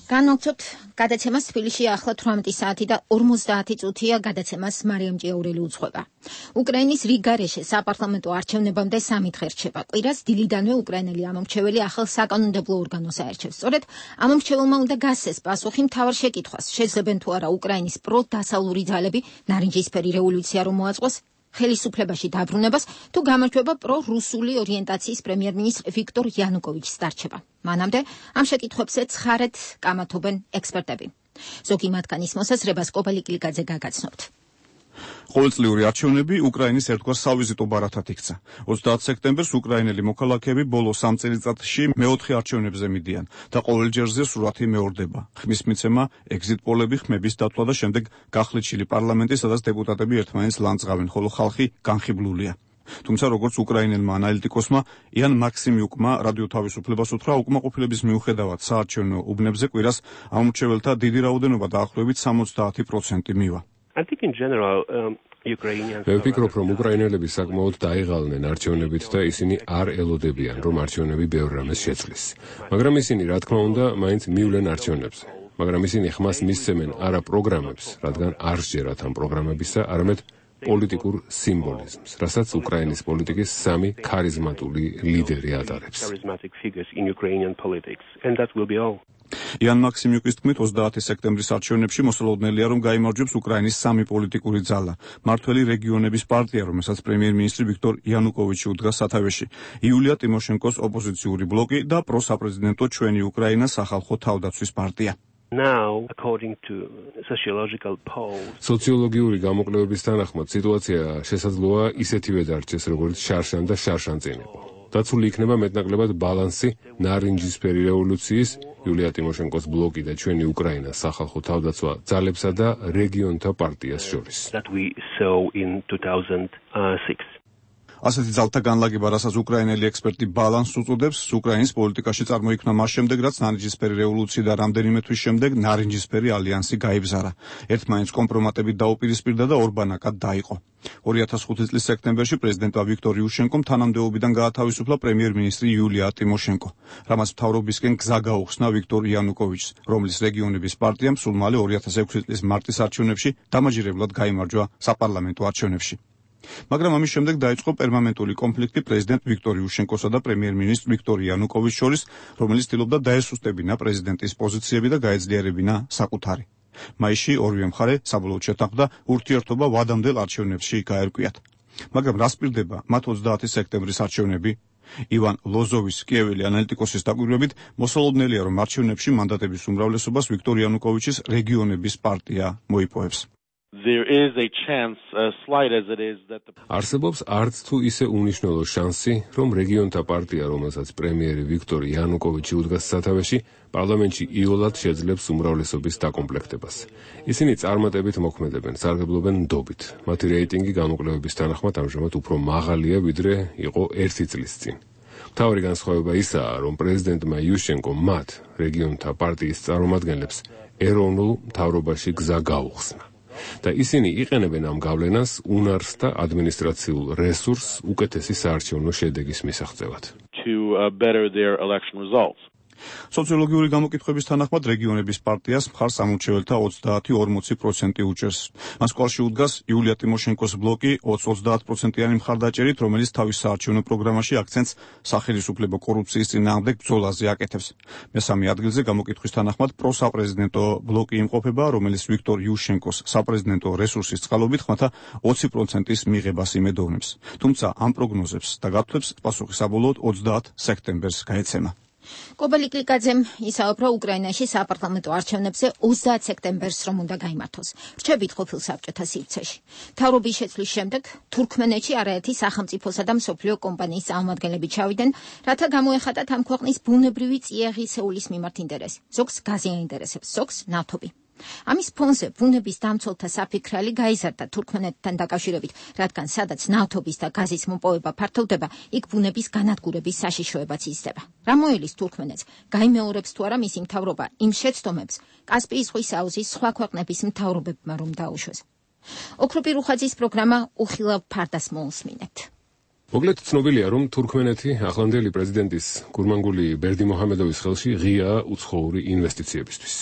განვაგრძობთ გადაცემას თბილისში ახლა 18 საათი და 50 წუთია გადაცემას მარიამ ჭიაურელი უძღვება. უკრაინის რიგარეშე საპარლამენტო არჩევნებამდე 3 დღე რჩება. კვირას დილიდანვე უკრაინელი ამომრჩეველი ახალ საკანონმდებლო ორგანოს აერჩევს. სწორედ ამომრჩეველმა უნდა გასცეს პასუხი მთავარ შეკითხვას, შეძლებენ თუ არა უკრაინის პროდასავლური ძალები ნარინჯისფერი რევოლუცია რომ მოაწყოს ხელისუფლებაში დაბრუნებას, თუ გამარჯვება პრორუსული ორიენტაციის პრემიერ-მინისტრ ვიქტორ იანუკოვიჩს დარჩება. მანამდე ამ შეკითხვებზე ცხარედ კამათობენ ექსპერტები. ზოგი მათგანის მოსაზრებას კობალი კლიკაძე გაგაცნობთ. ყოველწლიური არჩევნები უკრაინის ერთგვარ სავიზიტო ბარათად იქცა. 30 სექტემბერს უკრაინელი მოქალაქეები ბოლო 3 წელიწადში მეოთხე არჩევნებზე მიდიან და ყოველ ჯერზე სურათი მეორდება. ხმის მიცემა, ეგზიტ პოლები, ხმების დათვლა და შემდეგ გახლეჩილი პარლამენტი, სადაც დეპუტატები ერთმანეთს ლანძღავენ, ხოლო ხალხი განხიბლულია. თუმცა როგორც უკრაინელმა ანალიტიკოსმა იან მაქსიმიუკმა რადიო თავისუფლებას უთხრა, უკმაყოფილების მიუხედავად საარჩევნო უბნებზე კვირას ამომრჩეველთა დიდი რაოდენობა დაახლოებით 70% მივა. მე ვფიქრობ, რომ უკრაინელები საკმაოდ დაიღალნენ არჩევნებით და ისინი არ ელოდებიან, რომ არჩევნები ბევრ რამეს შეცვლის. მაგრამ ისინი, რა თქმა უნდა, მაინც მივლენ არჩევნებზე. მაგრამ ისინი ხმას მისცემენ არა პროგრამებს, რადგან არ სჯერათ ამ პროგრამებისა, არამედ პოლიტიკურ სიმბოლიზმს, რასაც უკრაინის პოლიტიკის 3 ქარიზმატული ლიდერი ატარებს. იან მაქსიმიუკის თქმით, 30 სექტემბრის არჩევნებში მოსალოდნელია, რომ გაიმარჯვებს უკრაინის 3 პოლიტიკური ძალა. მართველი რეგიონების პარტია, რომელსაც პრემიერ-მინისტრი ვიქტორ იანუკოვიჩი უდგას სათავეში, იულია ტიმოშენკოს ოპოზიციური ბლოკი და პროსაპრეზიდენტო ჩვენი უკრაინა სახალხო თავდაცვის პარტია. სოციოლოგიური გამოკვლევების თანახმად სიტუაცია შესაძლოა ისეთივე დარჩეს, როგორც შარშან და შარშან წინ იყო. დაცული იქნება მეტნაკლებად ბალანსი ნარინჯისფერი რევოლუციის, იულია ტიმოშენკოს ბლოკი და ჩვენი უკრაინა სახალხო თავდაცვა ძალებსა და რეგიონთა პარტიას შორის. ასეთი ძალთა განლაგება, რასაც უკრაინელი ექსპერტი ბალანსს უწოდებს, უკრაინის პოლიტიკაში წარმოიქმნა მას შემდეგ, რაც ნარინჯისფერი რევოლუცია და რამდენიმე თვის შემდეგ ნარინჯისფერი ალიანსი გაიბზარა. ერთმანეთს კომპრომატებით დაუპირისპირდა და ორბანაკად დაიყო. 2005 წლის სექტემბერში პრეზიდენტმა ვიქტორ იუშენკომ თანამდებობიდან გაათავისუფლა პრემიერ-მინისტრი იულია ტიმოშენკო, რამაც მთავრობისკენ გზა გაუხსნა ვიქტორ იანუკოვიჩს, რომლის რეგიონების პარტიამ სულ მალე 2006 წლის მარტის არჩევნებში დამაჯერებლად გაიმარჯვა საპარლამენტო არჩევნებში. მაგრამ ამის შემდეგ დაიწყო პერმანენტული კონფლიქტი პრეზიდენტ ვიქტორ იუშენკოსა და პრემიერ-მინისტრ ვიქტორ იანუკოვიჩს შორის, რომელიც ცდილობდა დაესუსტებინა პრეზიდენტის პოზიციები და გაეძლიერებინა საკუთარი. მაისში ორივე მხარე საბოლოოდ შეთანხმდა ურთიერთობა ვადამდელ არჩევნებში გაერკვიათ. მაგრამ რას პირდება მათ 30 სექტემბრის არჩევნები? ივან ლოზოვის კიეველი ანალიტიკოსის დაკვირვებით მოსალოდნელია, რომ არჩევნებში მანდატების უმრავლესობას ვიქტორ იანუკოვიჩის რეგიონების პარტია მოიპოვებს. არსებობს არც თუ ისე უნიშნელო შანსი, რომ რეგიონთა პარტია, რომელსაც პრემიერი ვიქტორ იანუკოვიჩი უდგას სათავეში, პარლამენტში იოლად შეძლებს უმრავლესობის დაკომპლექტებას. ისინი წარმატებით მოქმედებენ, სარგებლობენ ნდობით. მათი რეიტინგი განუკლებების თანახმად ამჟამად უფრო მაღალია, ვიდრე იყო 1 წლის წინ. მთავარი განსხვავება ისაა, რომ პრეზიდენტმა იუშენკომ მათ, რეგიონთა პარტიის წარმომადგენლებს, ეროვნულ მთავრობაში გზა გაუხსნა. და ისინი იყენებენ ამ გავლენას უნარს და ადმინისტრაციულ რესურსს უკეთესი საარჩევნო შედეგის მისაღწევად. სოციოლოგიური გამოკითხვების თანახმად რეგიონების პარტიას მხარს ამორჩეველთა 30-40% უჭერს. მას კვალში უდგას იულია ტიმოშენკოს ბლოკი 20-30%-იანი მხარდაჭერით, რომელიც თავის საარჩევნო პროგრამაში აქცენტს სახელისუფლებო კორუფციის წინააღმდეგ ბრძოლაზე აკეთებს. მესამე ადგილზე გამოკითხვის თანახმად პროსაპრეზიდენტო ბლოკი იმყოფება, რომელიც ვიქტორ იუშენკოს საპრეზიდენტო რესურსის წყალობით ხმათა 20%-ის მიღებას იმედოვნებს. თუმცა ამ პროგნოზებს და გათვლებს პასუხი საბოლოოდ 30 სექტემბერს გაეცემა. კობელი კლიკაძემ ისაუბრა უკრაინაში საპარლამენტო არჩევნებზე 30 სექტემბერს რომ უნდა გაიმართოს. რჩებით ყოფილ საბჭოთა სივრცეში. მთავრობის შეცვლის შემდეგ თურქმენეთში არაერთი სახელმწიფოსა და მსოფლიო კომპანიის წარმომადგენლები ჩავიდნენ, რათა გამოეხატათ ამ ქვეყნის ბუნებრივი წიაღისეულის მიმართ ინტერესი. ზოგს გაზი აინტერესებს, ზოგს ნავთობი. ამის ფონზე ბუნების დამცველთა საფიქრალი გაიზარდა თურქმენეთთან დაკავშირებით, რადგან სადაც ნავთობის და გაზის მოპოვება ფართოვდება, იქ ბუნების განადგურების საშიშროებაც იზრდება. რა მოელის თურქმენეთს, გაიმეორებს თუ არა მისი მთავრობა იმ შეცდომებს, კასპიის ზღვის აუზის სხვა ქვეყნების მთავრობებმა რომ დაუშვეს. ოქროპი რუხაძის პროგრამა უხილავ ფარდას მოусმინებთ. მოგლეთ ცნობილია, რომ თურქმენეთი ახლანდელი პრეზიდენტის გურმანგული ბერდიმოჰამედოვის ხელში ღიაა უცხოური ინვესტიციებისთვის.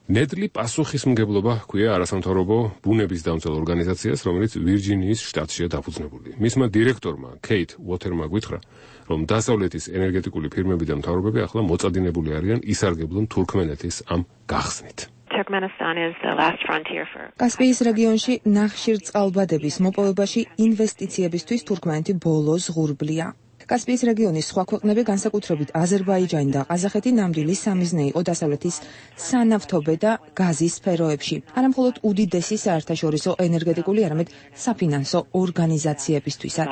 ნედლი პასუხისმგებლობა ჰქვია არასამთავრობო ბუნების დამცველ ორგანიზაციას, რომელიც ვირჯინიის შტატშია დაფუძნებული. მისმა დირექტორმა კეით უოთერმა გითხრა, რომ დასავლეთის ენერგეტიკული ფირმები და მთავრობები ახლა მოწადინებული არიან ისარგებლონ თურქმენეთის ამ გახსნით. კასპიის რეგიონში ნახშირწყალბადების მოპოვებაში ინვესტიციებისთვის თურქმენეთი ბოლო ზღურბლია. კასპიის რეგიონის სხვა ქვეყნები, განსაკუთრებით აზერბაიჯანი და ყაზახეთი, ნამდვილი სამიზნე იყო დასავლეთის სანავთობე და გაზის სფეროებში. არა მხოლოდ უდიდესი საერთაშორისო ენერგეტიკული, არამედ საფინანსო ორგანიზაციებისთვისაც.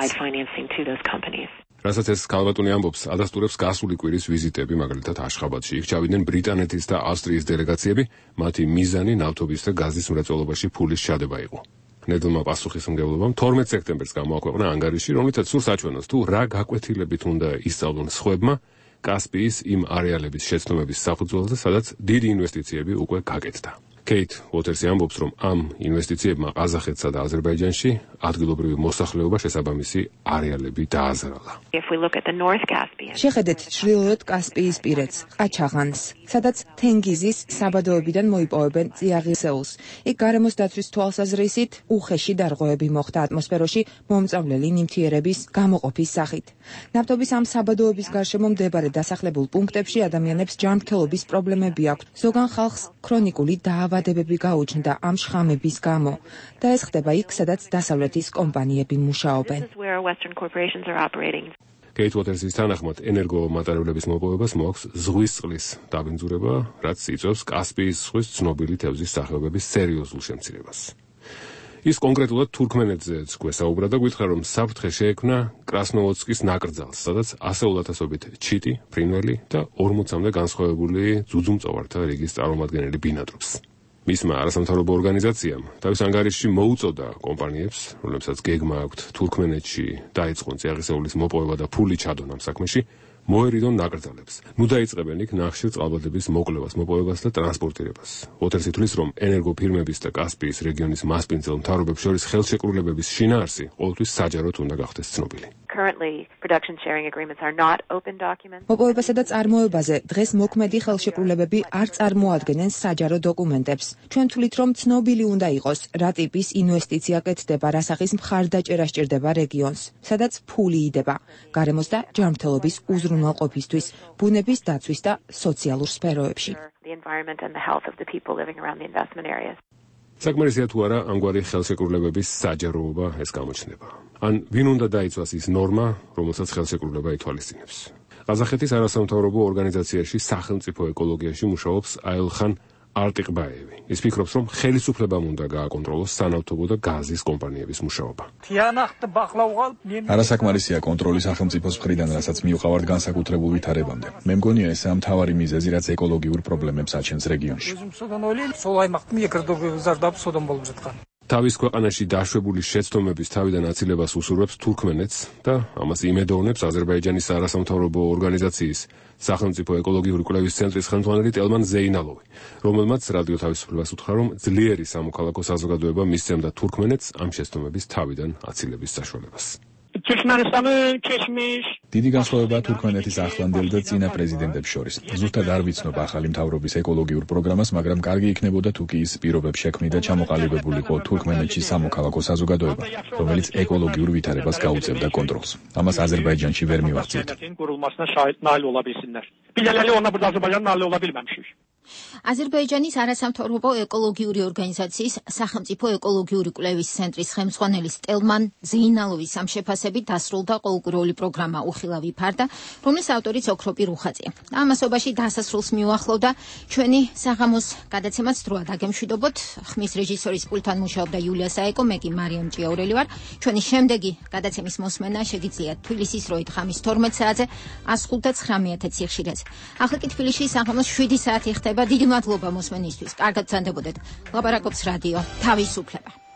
რასაც ეს ქალბატონი ამბობს, ადასტურებს გასული კვირის ვიზიტები, მაგალითად აშხაბადში. იქ ჩავიდნენ ბრიტანეთის და ავსტრიის დელეგაციები, მათი მიზანი ნავთობის და გაზის მრეწველობაში ფულის ჩადება იყო. ნედლმა პასუხისმგებლობამ 12 სექტემბერს გამოაქვეყნა ანგარიში, რომლითაც სურს აჩვენოს, თუ რა გაკვეთილებით უნდა ისწავლონ სხვებმა კასპიის იმ არეალების შეცდომების საფუძველზე, სადაც დიდი ინვესტიციები უკვე გაკეთდა. კეით უოთერსი ამბობს, რომ ამ ინვესტიციებმა ყაზახეთსა და აზერბაიჯანში ადგილობრივი მოსახლეობა შესაბამისი არეალები დააზრალა. შეხედეთ ჩრდილოეთ კასპიის პირეთს, ყაჩაღანს, სადაც თენგიზის საბადოებიდან მოიპოვებენ წიაღისეულს. იქ გარემოს დაცვის თვალსაზრისით უხეში დარღვევები მოხდა ატმოსფეროში მომწავლელი ნივთიერების გამოყოფის სახით. ნავთობის ამ საბადოების გარშემო მდებარე დასახლებულ პუნქტებში ადამიანებს ჯანმრთელობის პრობლემები აქვთ. ზოგან ხალხს ქრონიკული დაავადებები გაუჩნდა ამ შხამების გამო და ეს ხდება იქ, სადაც დასავლეთის კომპანიები მუშაობენ. კეით უოთერსის თანახმად ენერგომატარებლების მოპოვებას მოაქვს ზღვის წყლის დაბინძურება, რაც იწვევს კასპიის ზღვის ცნობილი თევზის სახეობების სერიოზულ შემცირებას. ის კონკრეტულად თურქმენეთზეც გვესაუბრა და გითხრა, რომ საფრთხე შეექმნა კრასნოვოდსკის ნაკრძალს, სადაც ასეულათასობით ჩიტი, ფრინველი და 40-მდე განსხვავებული ძუძუმწოვართა რიგის წარმომადგენელი ბინადრობს. მისმა არასამთავრობო ორგანიზაციამ თავის ანგარიშში მოუწოდა კომპანიებს, რომლებსაც გეგმა აქვთ თურქმენეთში დაიწყონ წიაღისეულის მოპოვება და ფული ჩადონ ამ საქმეში, მოერიდონ ნაკრძალებს. ნუ დაიწყებენ იქ ნახშირწყალბადების მოკლევას, მოპოვებას და ტრანსპორტირებას. უოთერსი თვლის, რომ ენერგოფირმების და კასპიის რეგიონის მასპინძელ მთავრობებს შორის ხელშეკრულებების შინაარსი ყოველთვის საჯაროდ უნდა გახდეს ცნობილი. მოპოვებასა და წარმოებაზე დღეს მოქმედი ხელშეკრულებები არ წარმოადგენენ საჯარო დოკუმენტებს. ჩვენ თვლით, რომ ცნობილი უნდა იყოს, რა ტიპის ინვესტიცია კეთდება, რა სახის მხარდაჭერა სჭირდება რეგიონს, სადაც ფული იდება, გარემოს და ჯანმრთელობის უზრუნველყოფისთვის, ბუნების დაცვის და სოციალურ სფეროებში. საკმარისია თუ არა ამგვარი ხელშეკრულებების საჯაროობა ეს გამოჩნდება. ან ვინ უნდა დაიცვას ის ნორმა, რომელსაც ხელშეკრულება ითვალისწინებს. ყაზახეთის არასამთავრობო ორგანიზაციაში სახელმწიფო ეკოლოგიაში მუშაობს აილხან არტიყბაევი. ის ფიქრობს, რომ ხელისუფლებამ უნდა გააკონტროლოს სანავთობო და გაზის კომპანიების მუშაობა. არასაკმარისია კონტროლი სახელმწიფოს მხრიდან, რასაც მიუყავართ განსაკუთრებულ ვითარებამდე. მე მგონია ესაა მთავარი მიზეზი, რაც ეკოლოგიურ პრობლემებს აჩენს რეგიონში. თავის ქვეყანაში დაშვებული შეცდომების თავიდან აცილებას უსურვებს თურქმენეთს და ამას იმედოვნებს აზერბაიჯანის არასამთავრობო ორგანიზაციის სახელმწიფო ეკოლოგიური კვლევის ცენტრის ხელმძღვანელი ტელმან ზეინალოვი, რომელმაც რადიო თავისუფლებას უთხრა, რომ ძლიერი სამოქალაქო საზოგადოება მისცემდა თურქმენეთს ამ შეცდომების თავიდან აცილების საშუალებას. დიდი განსხვავებაა თურქმენეთის ახლანდელ და წინა პრეზიდენტებს შორის. ზუსტად არ ვიცნობ ახალი მთავრობის ეკოლოგიურ პროგრამას, მაგრამ კარგი იქნებოდა თუ კი ის პირობებს შექმნიდა ჩამოყალიბებულიყო თურქმენეთში სამოქალაქო საზოგადოება, რომელიც ეკოლოგიურ ვითარებას გაუწევდა კონტროლს. ამას აზერბაიჯანში ვერ მივახციეთ. აზერბაიჯანის არასამთავრობო ეკოლოგიური ორგანიზაციის სახელმწიფო ეკოლოგიური კვლევის ცენტრის ხელმძღვანელის ტელმან ზეინალოვის ამ შეფასებით დასრულდა ყოველკვირეული პროგრამა უხილავი ფარდა, რომლის ავტორიც ოქროპი რუხაძეა. ამასობაში დასასრულს მიუახლოვდა ჩვენი საღამოს გადაცემაც დროა დაგემშვიდობოთ. ხმის რეჟისორის პულტთან მუშაობდა იულია საეკო, მე კი მარიამ ჭიაურელი ვარ. ჩვენი შემდეგი გადაცემის მოსმენა შეგიძლიათ თბილისის როით ხამის 12 საათზე 105.9 სიხშირეზე. ახლა კი თბილისში საღამოს 7 საათი ხდება. დიდი მადლობა მოსმენისთვის. კარგად გრძანდებოდეთ. ლაპარაკობს რადიო თავისუფლება.